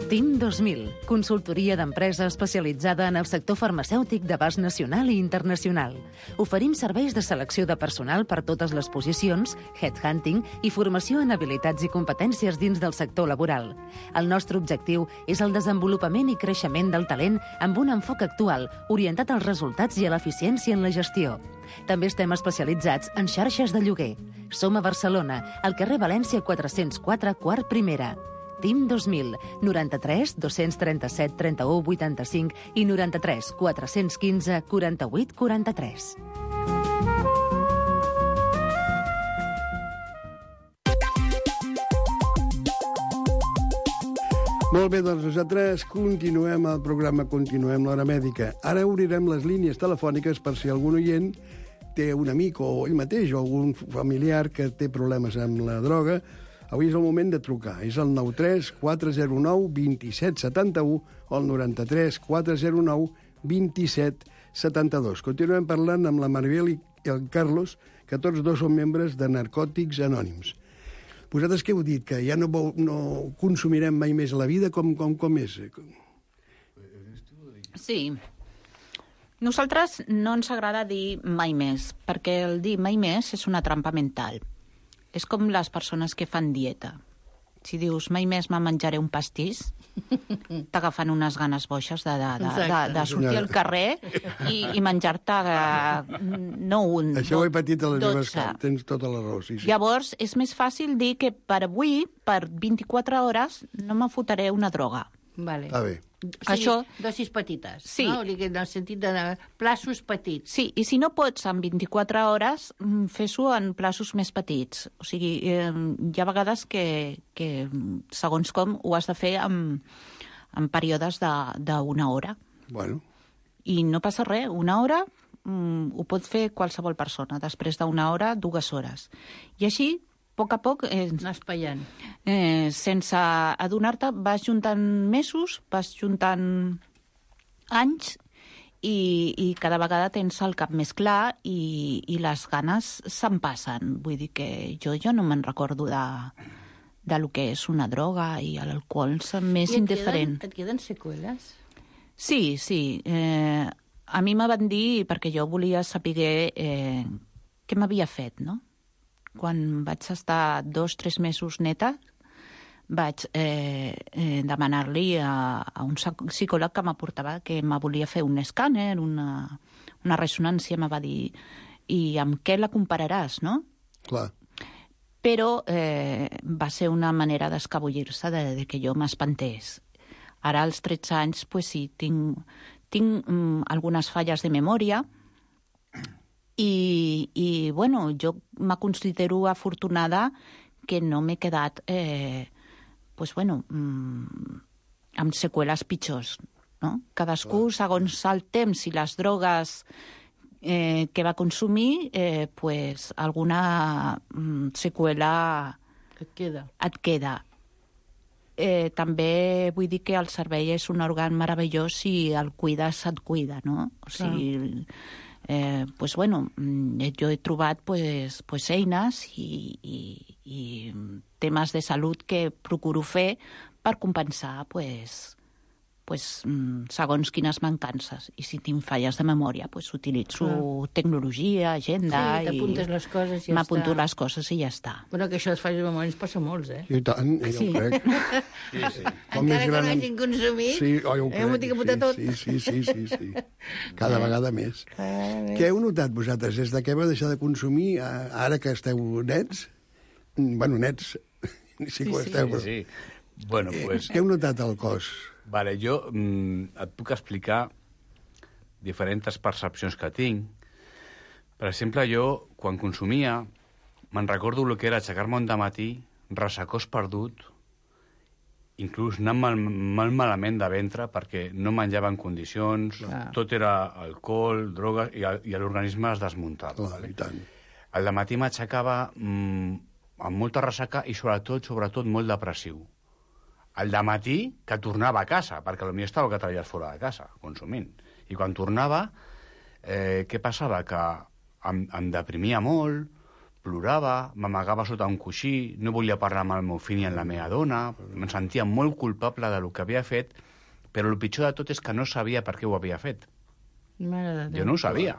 TIM 2000, consultoria d'empresa especialitzada en el sector farmacèutic d'abast nacional i internacional. Oferim serveis de selecció de personal per totes les posicions, headhunting i formació en habilitats i competències dins del sector laboral. El nostre objectiu és el desenvolupament i creixement del talent amb un enfoc actual, orientat als resultats i a l'eficiència en la gestió. També estem especialitzats en xarxes de lloguer. Som a Barcelona, al carrer València 404, quart primera. TIM 2000, 93 237 31 85 i 93 415 48 43.
Molt bé, doncs nosaltres continuem el programa, continuem l'Hora Mèdica. Ara obrirem les línies telefòniques per si algun oient té un amic o ell mateix o algun familiar que té problemes amb la droga. Avui és el moment de trucar. És el 93 409 27 71 o el 93 409 27 72. Continuem parlant amb la Maribel i el Carlos, que tots dos són membres de Narcòtics Anònims. Vosaltres què heu dit? Que ja no consumirem mai més a la vida? Com és?
Sí. Nosaltres no ens agrada dir mai més, perquè el dir mai més és una trampa mental. És com les persones que fan dieta. Si dius mai més me menjaré un pastís, t'agafen unes ganes boixes de sortir al carrer i menjar-te no un,
això ho he patit a les
12.
meves cases, tens tota la raó. Sí.
Llavors, és més fàcil dir que per avui, per 24 hores, no me fotré una droga.
Vale.
Està bé.
Això...
dosis petites,
sí.
No? En el sentit de plaços petits.
Sí, i si no pots en 24 hores, fes-ho en plaços més petits. O sigui, hi ha vegades que segons com, ho has de fer en períodes d'una hora.
Bueno.
I no passa res, una hora ho pot fer qualsevol persona. Després d'una hora, 2 hores. I així, a poc a poc...
Anar espaiant.
Sense adonar-te, vas juntant mesos, vas juntant anys i cada vegada tens el cap més clar i les ganes se'n passen. Vull dir que jo no me'n recordo lo que és una droga, i l'alcohol m'és indiferent.
Et queden seqüeles?
Sí. A mi me van dir, perquè jo volia saber què m'havia fet, no? Quan vaig estar 2-3 mesos neta, vaig demanar-li a un psicòleg que m'aportava que me volia fer un escàner, una ressonància, me va dir, i amb què la compararàs, no?
Clar.
Però va ser una manera d'escabullir-se de que jo m'espantés. Ara, als 13 anys, pues sí, tinc algunes falles de memòria i bueno, jo me considero afortunada que no m'he quedat amb seqüeles pitjors, no? Cadascú, segons el temps i les drogues que va consumir, alguna seqüela et queda. També vull dir que el cervell és un òrgan meravellós i el cuides, et cuida, no? O sigui, jo he trobat eines i temes de salut que procuro fer per compensar segons quines mancances. I si tinc falles de memòria, utilitzo tecnologia, agenda...
Sí, t'apuntes les coses i ja està.
M'apunto les coses i ja està.
Bueno, que això de falles de memòria ens passa a molts, eh?
I tant, jo ho crec.
Sí. Encara que no hagin consumit,
jo ho crec.
M'ho tinc que apuntar tot.
Sí. Cada vegada més. Què heu notat vosaltres des de que vau deixar de consumir, ara que esteu nets? Bueno, nets, sí que ho esteu, però...
Sí. Bueno, pues...
Què heu notat al cos?
Vale, jo et puc explicar diferents percepcions que tinc. Per exemple, jo, quan consumia, me'n recordo el que era aixecar-me un dematí, ressecós perdut, inclús anar molt malament de ventre perquè no menjava en condicions, tot era alcohol, drogues, i l'organisme es desmuntava.
I tant.
Al dematí m'aixecava amb molta ressaca i sobretot molt depressiu. Al dematí que tornava a casa, perquè potser estava 4 dies fora de casa, consumint. I quan tornava, què passava? Que em deprimia molt, plorava, m'amagava sota un coixí, no volia parlar amb el meu fill ni amb la meva dona, em sentia molt culpable del que havia fet, però el pitjor de tot és que no sabia per què ho havia fet. Jo no ho sabia.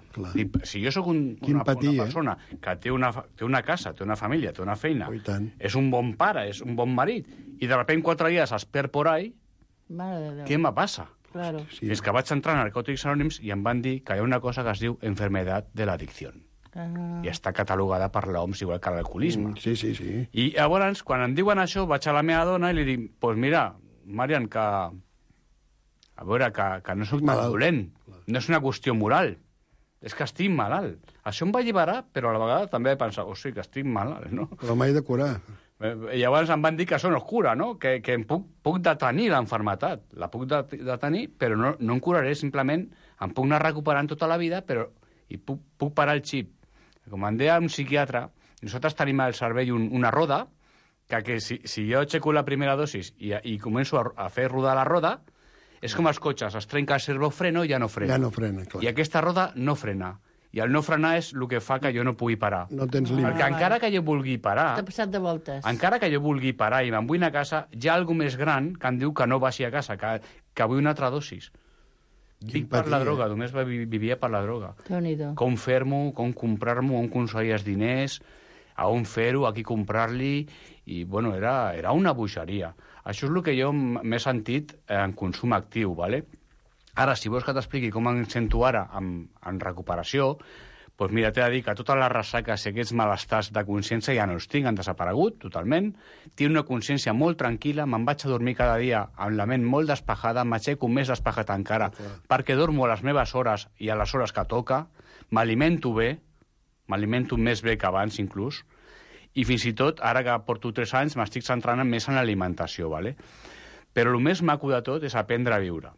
Si jo sóc una persona que té una casa, té una família, té una feina, és un bon pare, és un bon marit, i de sobte 4 dies es perd por ahí, què me passa?
Claro.
És que vaig entrar a Narcòtics Anònims i em van dir que hi ha una cosa que es diu enfermedad de l'adicció. I està catalogada per l'OMS igual que l'alcoholisme.
Sí.
I llavors, quan em diuen això, vaig a la meva dona i li dic, pues mira, Marian, que no soc tan dolent. No és una qüestió moral, és que estic malalt. Això em va alliberar, però a la vegada també he pensat, que estic malalt, no?
Però m'he de curar.
I llavors em van dir que això no es cura, no? Que em puc detenir l'enfermetat. La puc detenir, però no em curaré, simplement em puc anar recuperant tota la vida, i puc parar el xip. Com em deia un psiquiatre, nosaltres tenim al cervell una roda, que si jo aixeco la primera dosis i començo a fer rodar la roda, és com els cotxes, es trenca el servofreno i ja no frena.
Ja no frena, clar.
I aquesta roda no frena. I el no frenar és el que fa que jo no pugui parar.
No tens límit.
Perquè encara que jo vulgui parar...
T'ha passat de voltes.
Encara que jo vulgui parar i me'n vull anar a casa, hi ha alguna més gran que em diu que no vagi a casa, que vull una altra dosis. Dic per la droga, només vivia per la droga. Com fer-m'ho, com comprar-m'ho, on aconseguir els diners, a on fer-ho, a qui comprar-li... I, bueno, era una bogeria. Això és el que jo m'he sentit en consum actiu, ¿vale? Ara, si vols que t'expliqui com em sento ara en recuperació, doncs mira, t'he de dir que totes les ressaques i aquests malestars de consciència ja no els tinc, han desaparegut totalment. Tinc una consciència molt tranquil·la, me'n vaig a dormir cada dia amb la ment molt despejada, m'aixeco més despejat encara, perquè dormo a les meves hores i a les hores que toca, m'alimento bé, m'alimento més bé que abans inclús, i fins i tot, ara que porto 3 anys, m'estic centrant més en l'alimentació, ¿vale? Però el més maco de tot és aprendre a viure.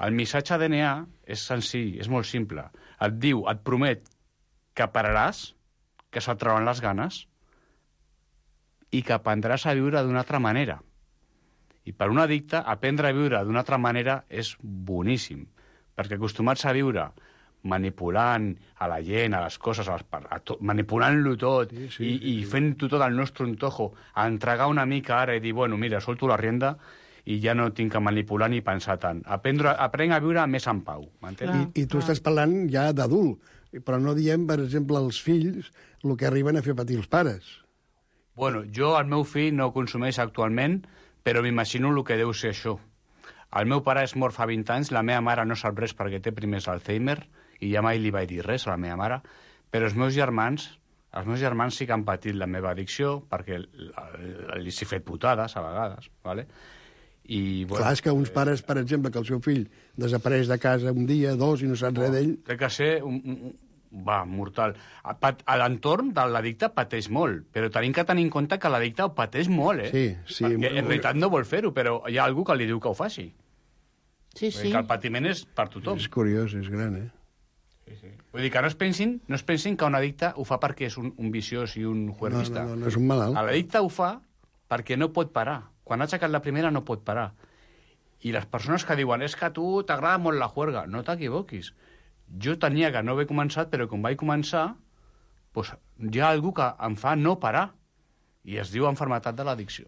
El missatge DNA és senzill, és molt simple. Et diu, et promet que pararàs, que se't trauran les ganes i que aprendràs a viure d'una altra manera. I per un addicte, aprendre a viure d'una altra manera és boníssim, perquè acostumats a viure manipulant a la gent, a les coses, manipulant-lo tot i fent-ho tot al nostre antojo, a entregar una mica ara i dir, bueno, mira, solto la rienda i ja no tinc que manipular ni pensar tant. Aprenc a viure més en pau, m'entens?
I tu estàs parlant ja d'adult, però no diem, per exemple, als fills el que arriben a fer patir els pares.
Bueno, jo, el meu fill no consumeix actualment, però m'imagino el que deu ser això. El meu pare és mort fa 20 anys, la meva mare no sap res perquè té primers Alzheimer, i ja mai li vaig dir res a la meva mare, però els meus germans sí que han patit la meva addicció, perquè li he fet putades a vegades, ¿vale? I, bueno,
clar, és que uns pares, per exemple, que el seu fill desapareix de casa un dia, dos, i no saps res d'ell...
Té que ser mortal. A l'entorn de l'addicte pateix molt, però tenim que tenir en compte que l'addicte ho pateix molt,
Sí.
Perquè en realitat no vol fer-ho, però hi ha algú que li diu que ho faci.
Sí.
Que el patiment és per tothom.
És curiós, és gran,
Sí. Vull dir que no es pensin que un addicte ho fa perquè és un viciós i un juerguista.
No, és un malalt.
L'addicte ho fa perquè no pot parar. Quan ha aixecat la primera no pot parar. I les persones que diuen és que a tu t'agrada molt la juerga, no t'equivoquis. Jo tenia que no haver començat, però quan vaig començar, doncs, hi ha algú que em fa no parar. I es diu enfermetat de l'addicció.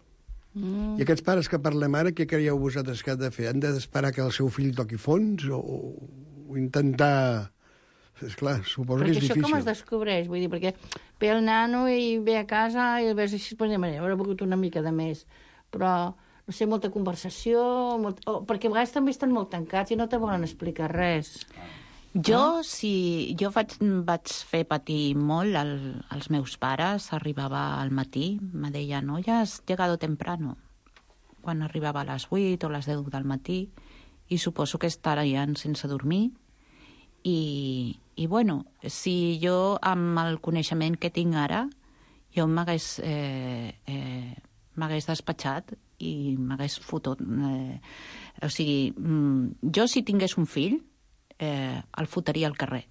I aquests pares que parlem ara, què creieu vosaltres que han de fer? Han d'esperar que el seu fill toqui fons o intentar... Esclar, suposo que és difícil.
Perquè això com es descobreix? Vull dir, perquè ve el nano i ve a casa i el veus així, doncs, haurà begut una mica de més. Però, no sé, molta conversació... perquè a vegades també estan molt tancats i no te volen explicar res.
Jo vaig fer patir molt als meus pares. Arribava al matí, me deia, no, ja has llegado temprano. Quan arribava a les 8 o les 10 del matí, i suposo que estarien sense dormir. I bueno, si jo, amb el coneixement que tinc ara, jo m'hagués despatxat i m'hagués fotut. O sigui, jo si tingués un fill, el fotria al carrer.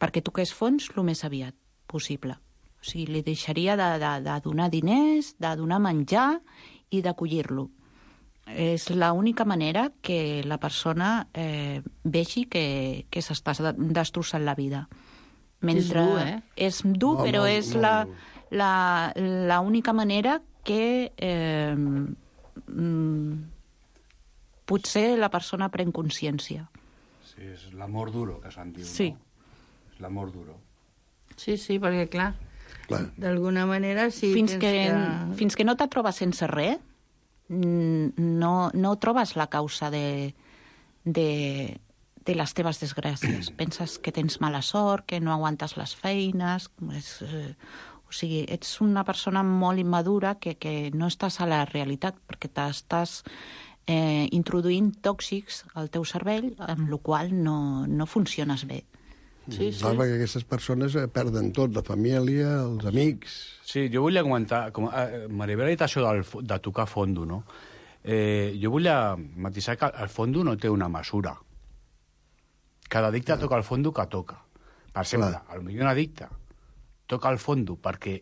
Perquè toqués fons el més aviat possible. O sigui, li deixaria de donar diners, de donar menjar i d'acollir-lo. És l'única manera que la persona vegi que s'està destrossant la vida. Mentre
és dur, eh?
És dur, però és l'única manera que potser la persona pren consciència.
Sí, és l'amor duro, que se'n diu,
sí.
No? És l'amor duro.
Sí, perquè, clar. D'alguna manera, sí...
Fins que no te trobes sense res, no trobes la causa de les teves desgràcies. Penses que tens mala sort, que no aguantes les feines... O sigui, ets una persona molt immadura que no estàs a la realitat, perquè t'estàs introduint tòxics al teu cervell, amb la qual no funciones bé.
Sí. Perquè aquestes persones perden tot, la família, els amics...
Sí, jo volia comentar, Maribel ha dit això de tocar fondo, no? Jo volia matisar que el fondo no té una mesura. Cada addicte toca el fondo que toca. Per exemple, potser un addicte toca el fondo perquè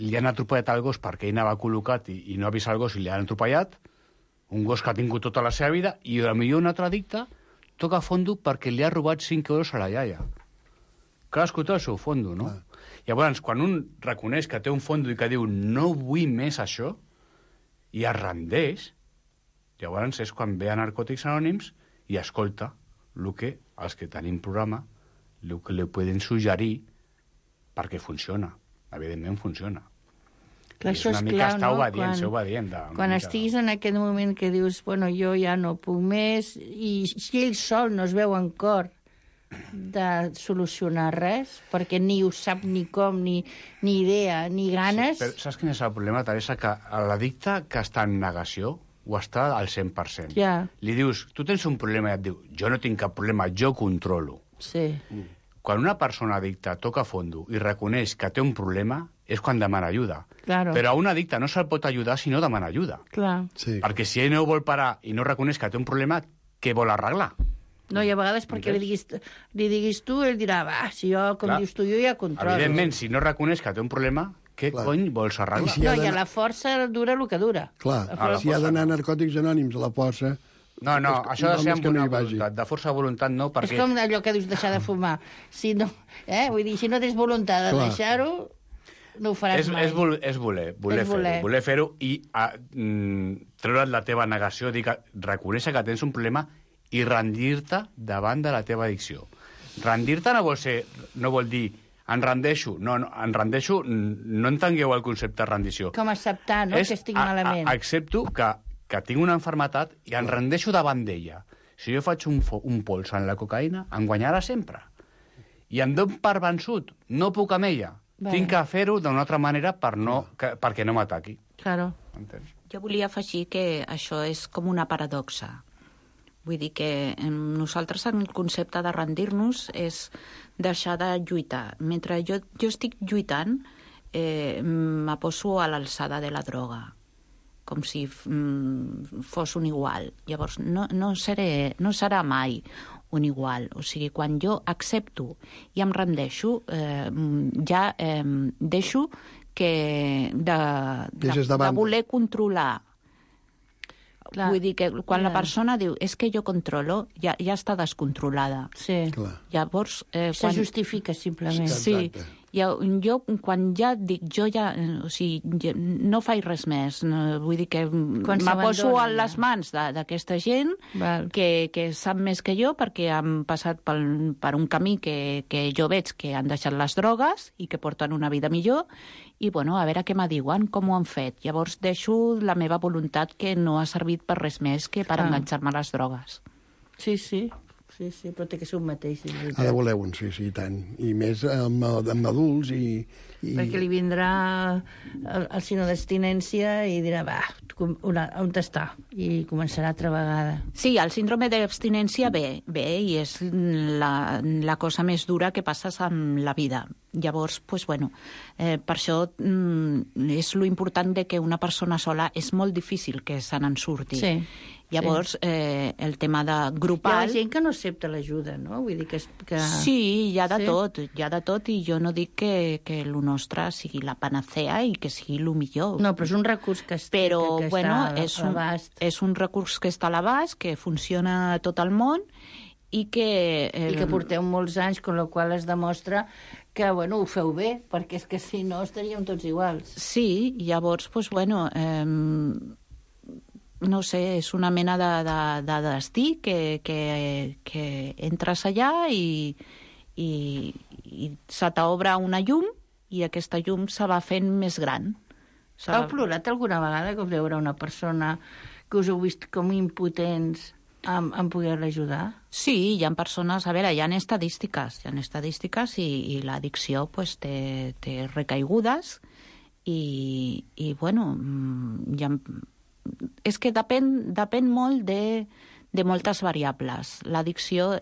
li han atropellat el gos perquè ell anava col·locat i no ha vist el gos i li han atropellat, un gos que ha tingut tota la seva vida, i potser un altre addicte toca fondo perquè li ha robat 5 euros a la iaia. Cadascú té el seu fondo, no? Llavors, quan un reconeix que té un fondo i que diu no vull més això, i es rendeix, llavors és quan ve a Narcòtics Anònims i escolta el que els que tenim programa el que li poden suggerir perquè funciona. Evidentment funciona.
Clar,
és una mica estar obedient, ser obedient.
Quan estiguis en aquest moment que dius, bueno, jo ja no puc més, i si ell sol no es veu en cor de solucionar res, perquè ni ho sap ni com, ni idea, ni ganes...
Sí, però saps quin és el problema, Teresa? Que l'addicte que està en negació ho està al 100%.
Ja.
Li dius, tu tens un problema, i et diu, jo no tinc cap problema, jo controlo.
Sí.
Quan una persona addicta toca fondo i reconeix que té un problema, és quan demana ajuda.
Claro.
Però a un addicte no se'l pot ajudar si no demana ajuda.
Clar.
Sí.
Perquè si ell no vol parar i no reconeix que té un problema, què vol arreglar?
No, i a vegades perquè li diguis tu, ell dirà, va, si jo, com dius tu, jo ja controlo.
Evidentment, si no reconeix que té un problema, què cony vols arreglar?
No, i a la força dura el que dura.
Clar, si ha d'anar a Narcòtics Anònims a la força,
No, això ha de ser amb una
vagi.
voluntat. De força voluntat no, perquè...
És com allò que dius deixar de fumar. Si no, vull dir, si no tens voluntat de deixar-ho, no ho faràs mai.
És voler fer-ho i treure't la teva negació, reconèixer que tens un problema i rendir-te davant de la teva addicció. Rendir-te no vol dir em rendeixo. No, em rendeixo, no entengueu el concepte de rendició.
Com acceptar, no?, que estic malament.
Accepto que tinc una malaltia i em rendeixo davant d'ella. Si jo faig un pols en la cocaïna, em guanyarà sempre. I em dono per vençut. No puc amb ella. Tinc que fer-ho d'una altra manera perquè no m'ataqui.
Claro.
Entens?
Jo volia afegir que això és com una paradoxa. Vull dir que nosaltres el concepte de rendir-nos és deixar de lluitar. Mentre jo estic lluitant, me poso a l'alçada de la droga, com si fos un igual. Llavors, no serà mai un igual. O sigui, quan jo accepto i em rendeixo, ja deixo de voler controlar. Clar. Vull dir que quan la persona diu és que jo controlo, ja està descontrolada.
Sí.
Llavors...
Se justifica, simplement.
Sí. Jo, quan ja dic, o sigui, no faig res més. Vull dir que me poso a les mans d'aquesta gent que sap més que jo perquè han passat per un camí que jo veig que han deixat les drogues i que porten una vida millor i, bueno, a veure què me diuen, com ho han fet. Llavors deixo la meva voluntat que no ha servit per res més que per enganxar-me a les drogues.
Sí, però té que ser un mateix.
Ha de voler un, sí, i tant. I més amb adults i...
Perquè li vindrà el sinó d'abstinència i dirà, on està? I començarà altra vegada.
Sí, el síndrome d'abstinència ve i és la cosa més dura que passes amb la vida. Llavors, pues, bueno, per això és lo important de que una persona sola és molt difícil que se n'en surti.
Sí.
Llavors, el tema de grupal...
Hi ha gent que no accepta l'ajuda, no? Vull dir que...
Sí, hi ha de tot, i jo no dic que el nostre sigui la panacea i que sigui el millor.
No, però és un recurs que està a l'abast.
És un recurs que està a l'abast, que funciona a tot el món, i que...
I que porteu molts anys, amb la qual es demostra que, bueno, ho feu bé, perquè és que si no estaríem tots iguals.
Sí, llavors, doncs, bueno... no sé, és una mena de destí que entres allà i se t'obre una llum i aquesta llum se va fent més gran.
Heu plorat alguna vegada que veure una persona que us heu vist com impotents en poder-la ajudar?
Sí, hi ha persones... A veure, hi ha estadístiques i l'addicció pues, té recaigudes i bueno, hi ha... És que depèn molt de moltes variables. L'addicció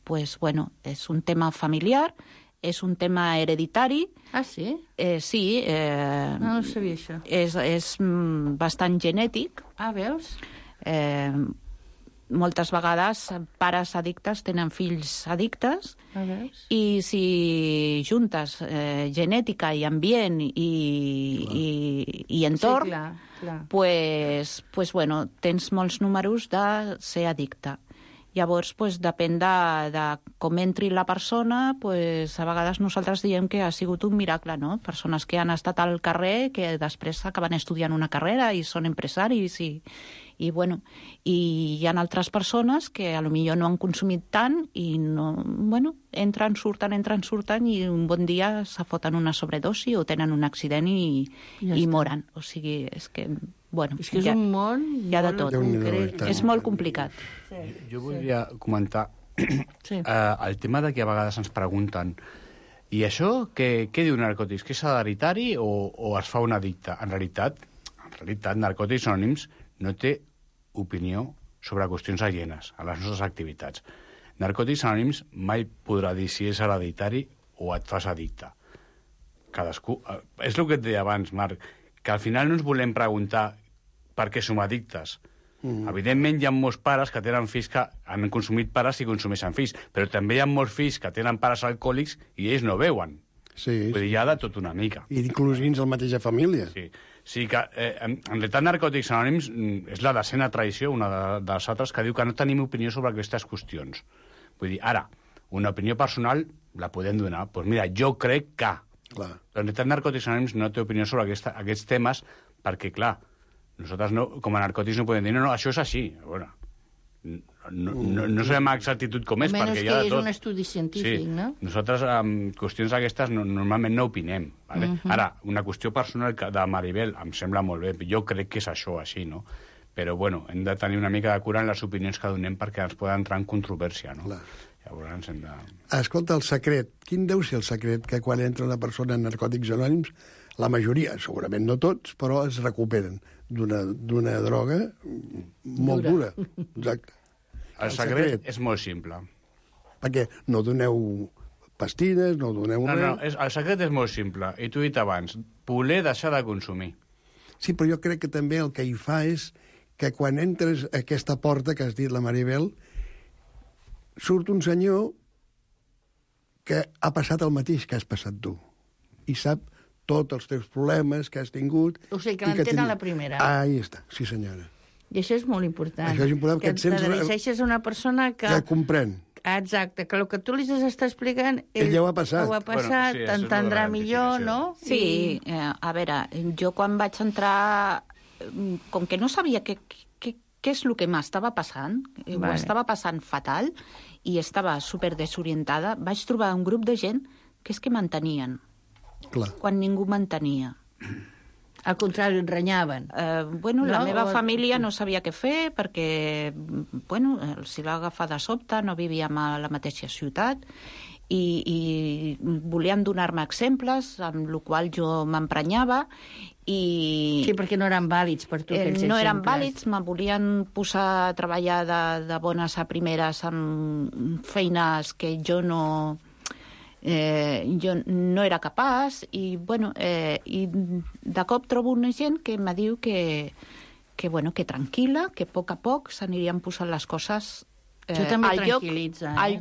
pues, bueno, és un tema familiar, és un tema hereditari.
Ah, sí?
Sí.
No sabia això.
És bastant genètic.
Ah, veus?
Moltes vegades pares addictes tenen fills addictes i si juntes genètica i ambient i entorn, pues, bueno, tens molts números de ser addicte. Llavors, pues, depèn de com entri la persona, pues, a vegades nosaltres diem que ha sigut un miracle, no? Persones que han estat al carrer, que després acaben estudiant una carrera i són empresaris i bueno, i hi ha altres persones que a lo millor no han consumit tant i no, bueno, entren, surten i un bon dia se foten una sobredosi o tenen un accident i moren. O sigui, és que... Bueno,
és que és un món
hi ha de tot. És molt complicat.
Jo volia comentar el tema de que a vegades ens pregunten i això, què diu Narcòtics? Que és hereditari o es fa un addicte? En realitat, Narcòtics Anònims no té opinió sobre qüestions alienes a les nostres activitats. Narcòtics Anònims mai podrà dir si és hereditari o et fas addicte. Cadascú... És el que et deia abans, Marc, que al final no ens volem preguntar per què som addictes. Evidentment, hi ha molts pares que tenen fills que han consumit pares i consumeixen fills, però també hi ha molts fills que tenen pares alcohòlics i ells no veuen.
Sí,
Vull dir, hi ha de tot una mica.
I inclús dins la mateixa família.
Sí. Sí que, en realitat, Narcòtics Anònims és la decena tradició, una de les altres, que diu que no tenim opinió sobre aquestes qüestions. Vull dir, ara, una opinió personal la podem donar. Doncs mira, jo crec que...
Clar.
Però en realitat, Narcòtics Anònims no té opinió sobre aquests temes perquè, clar, nosaltres no, com a narcòtics no podem dir no, això és així. Bueno, no sabem amb exactitud com és, perquè hi ha de tot.
Almenys que és un estudi científic, no?
Nosaltres, amb qüestions d'aquestes, normalment no opinem. Vale? Ara, una qüestió personal de Maribel em sembla molt bé. Jo crec que és això, així, no? Però, bueno, hem de tenir una mica de cura en les opinions que donem perquè ens poden entrar en controvèrsia, no? Clar. Llavors hem de...
Escolta, el secret. Quin deu ser el secret que quan entra una persona en Narcòtics Anònims, la majoria, segurament no tots, però es recuperen d'una droga molt dura. Exacte.
El secret és molt simple.
Perquè no doneu pastilles, no doneu res...
No, el secret és molt simple. I t'ho he dit abans, voler deixar de consumir.
Sí, però jo crec que també el que hi fa és que quan entres a aquesta porta que has dit la Maribel, surt un senyor que ha passat el mateix que has passat tu i sap tots els teus problemes que has tingut.
O sigui, que l'entén a la primera.
Ahí està, sí senyora.
I això és molt important.
Això és important,
que
et sents...
t'adreceixes a una persona que...
Que comprèn.
Exacte, que el que tu li està explicant...
Ell ja ho ha passat.
Ho ha passat, bueno, sí, t'entendrà millor, no?
Sí, a veure, jo quan vaig entrar, com que no sabia què és el que m'estava passant, ho estava passant fatal, i estava super desorientada, vaig trobar un grup de gent que és que m'entenien.
Clar.
Quan ningú m'entenia.
Al contrari, et renyaven.
Bueno, la meva família no sabia què fer perquè, bueno, els va agafar de sobte, no vivíem a la mateixa ciutat i volien donar-me exemples, amb el qual jo m'emprenyava i...
Sí, perquè no eren vàlids per tu aquells exemples.
No eren vàlids, me volien posar a treballar de bones a primeres amb feines que jo no era capaç i, bueno, i de cop trobo una gent que me diu que tranquil·la, que a poc s'anirien posant les coses al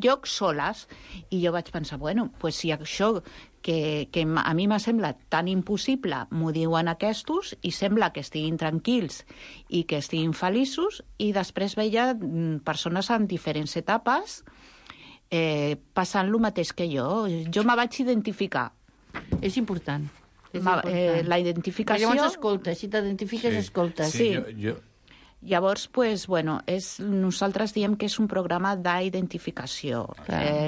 lloc soles. I jo vaig pensar, bueno, pues si això que a mi m'ha semblat tan impossible m'ho diuen aquestos i sembla que estiguin tranquils i que estiguin feliços, i després veia persones en diferents etapes passant el mateix que jo. Jo me vaig identificar.
És important.
La identificació...
Perquè llavors escoltes, si t'identifiques, escoltes.
Sí. Llavors, pues, bueno, nosaltres diem que és un programa d'identificació.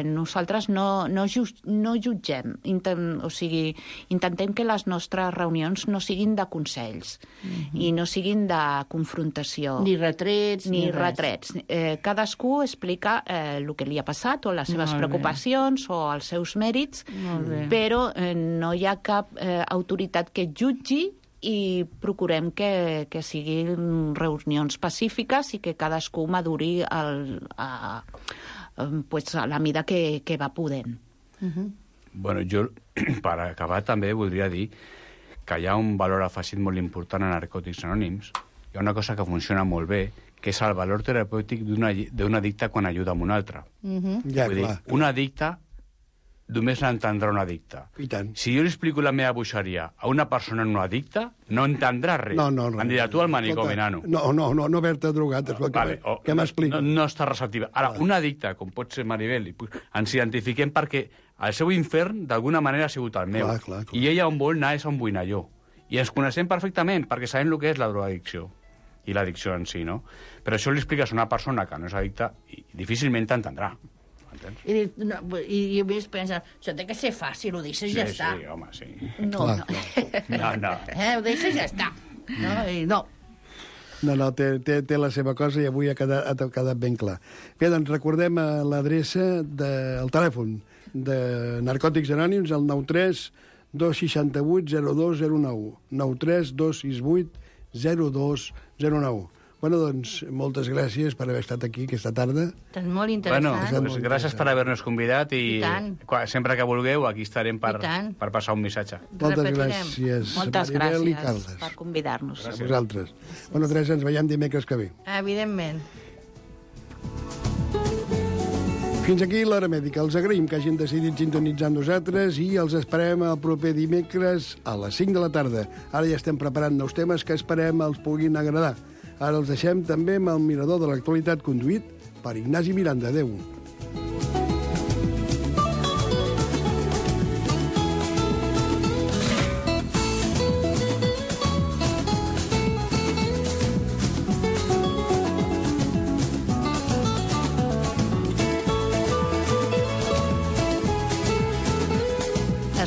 Nosaltres no jutgem. O sigui, intentem que les nostres reunions no siguin de consells i no siguin de confrontació.
Ni retrets.
Ni retrets. Cadascú explica el que li ha passat o les seves preocupacions o els seus mèrits, però no hi ha cap autoritat que jutgi, i procurem que siguin reunions pacífiques i que cadascú maduri a la mida que va podent.
Bueno, jo, per acabar, també voldria dir que hi ha un valor afegit molt important a Narcòtics Anònims. Hi ha una cosa que funciona molt bé, que és el valor terapèutic d'un addicte quan ajuda a un altre. Vull dir, un addicte només l'entendrà un addicte.
I tant.
Si jo li explico la meva boixeria a una persona no addicta, no entendrà res. Em dirà, tu al manicomi, nano.
No haver-te drogat, és el que m'explica.
No està receptiva. Ara, un addicte, com pot ser Maribel, ens identifiquem perquè el seu infern, d'alguna manera, ha sigut el meu. I ella on vol anar és on vull anar jo. I ens coneixem perfectament, perquè sabem el que és la drogadicció i l'addicció en si, no? Però això li expliques a una persona que no és addicta i difícilment t'entendrà.
I a més pensa, això té que ser fàcil, ho deixes i ja està.
Sí, home, sí.
No. Ho deixes i ja està.
No, té la seva cosa i avui ha quedat ben clar. Bé, doncs recordem l'adreça del telèfon de Narcòtics Anònims, el 93 268 0209. 93 268 0209. Bueno, doncs, moltes gràcies per haver estat aquí aquesta tarda.
És molt interessant.
Bueno, gràcies per haver-nos convidat i sempre que vulgueu aquí estarem per passar un missatge.
Moltes gràcies.
Moltes gràcies per convidar-nos.
A vosaltres. Bueno, Teresa, ens veiem dimecres que ve.
Evidentment.
Fins aquí l'Hora Mèdica. Els agraïm que hagin decidit sintonitzar amb nosaltres i els esperem el proper dimecres a les 5 de la tarda. Ara ja estem preparant nous temes que esperem els puguin agradar. Ara els deixem també amb el mirador de l'actualitat conduït per Ignasi Miranda. Adéu.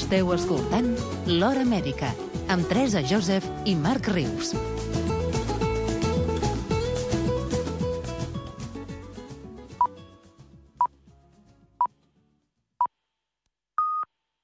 Esteu escoltant l'Hora Mèdica amb Teresa Joseph i Marc Rius.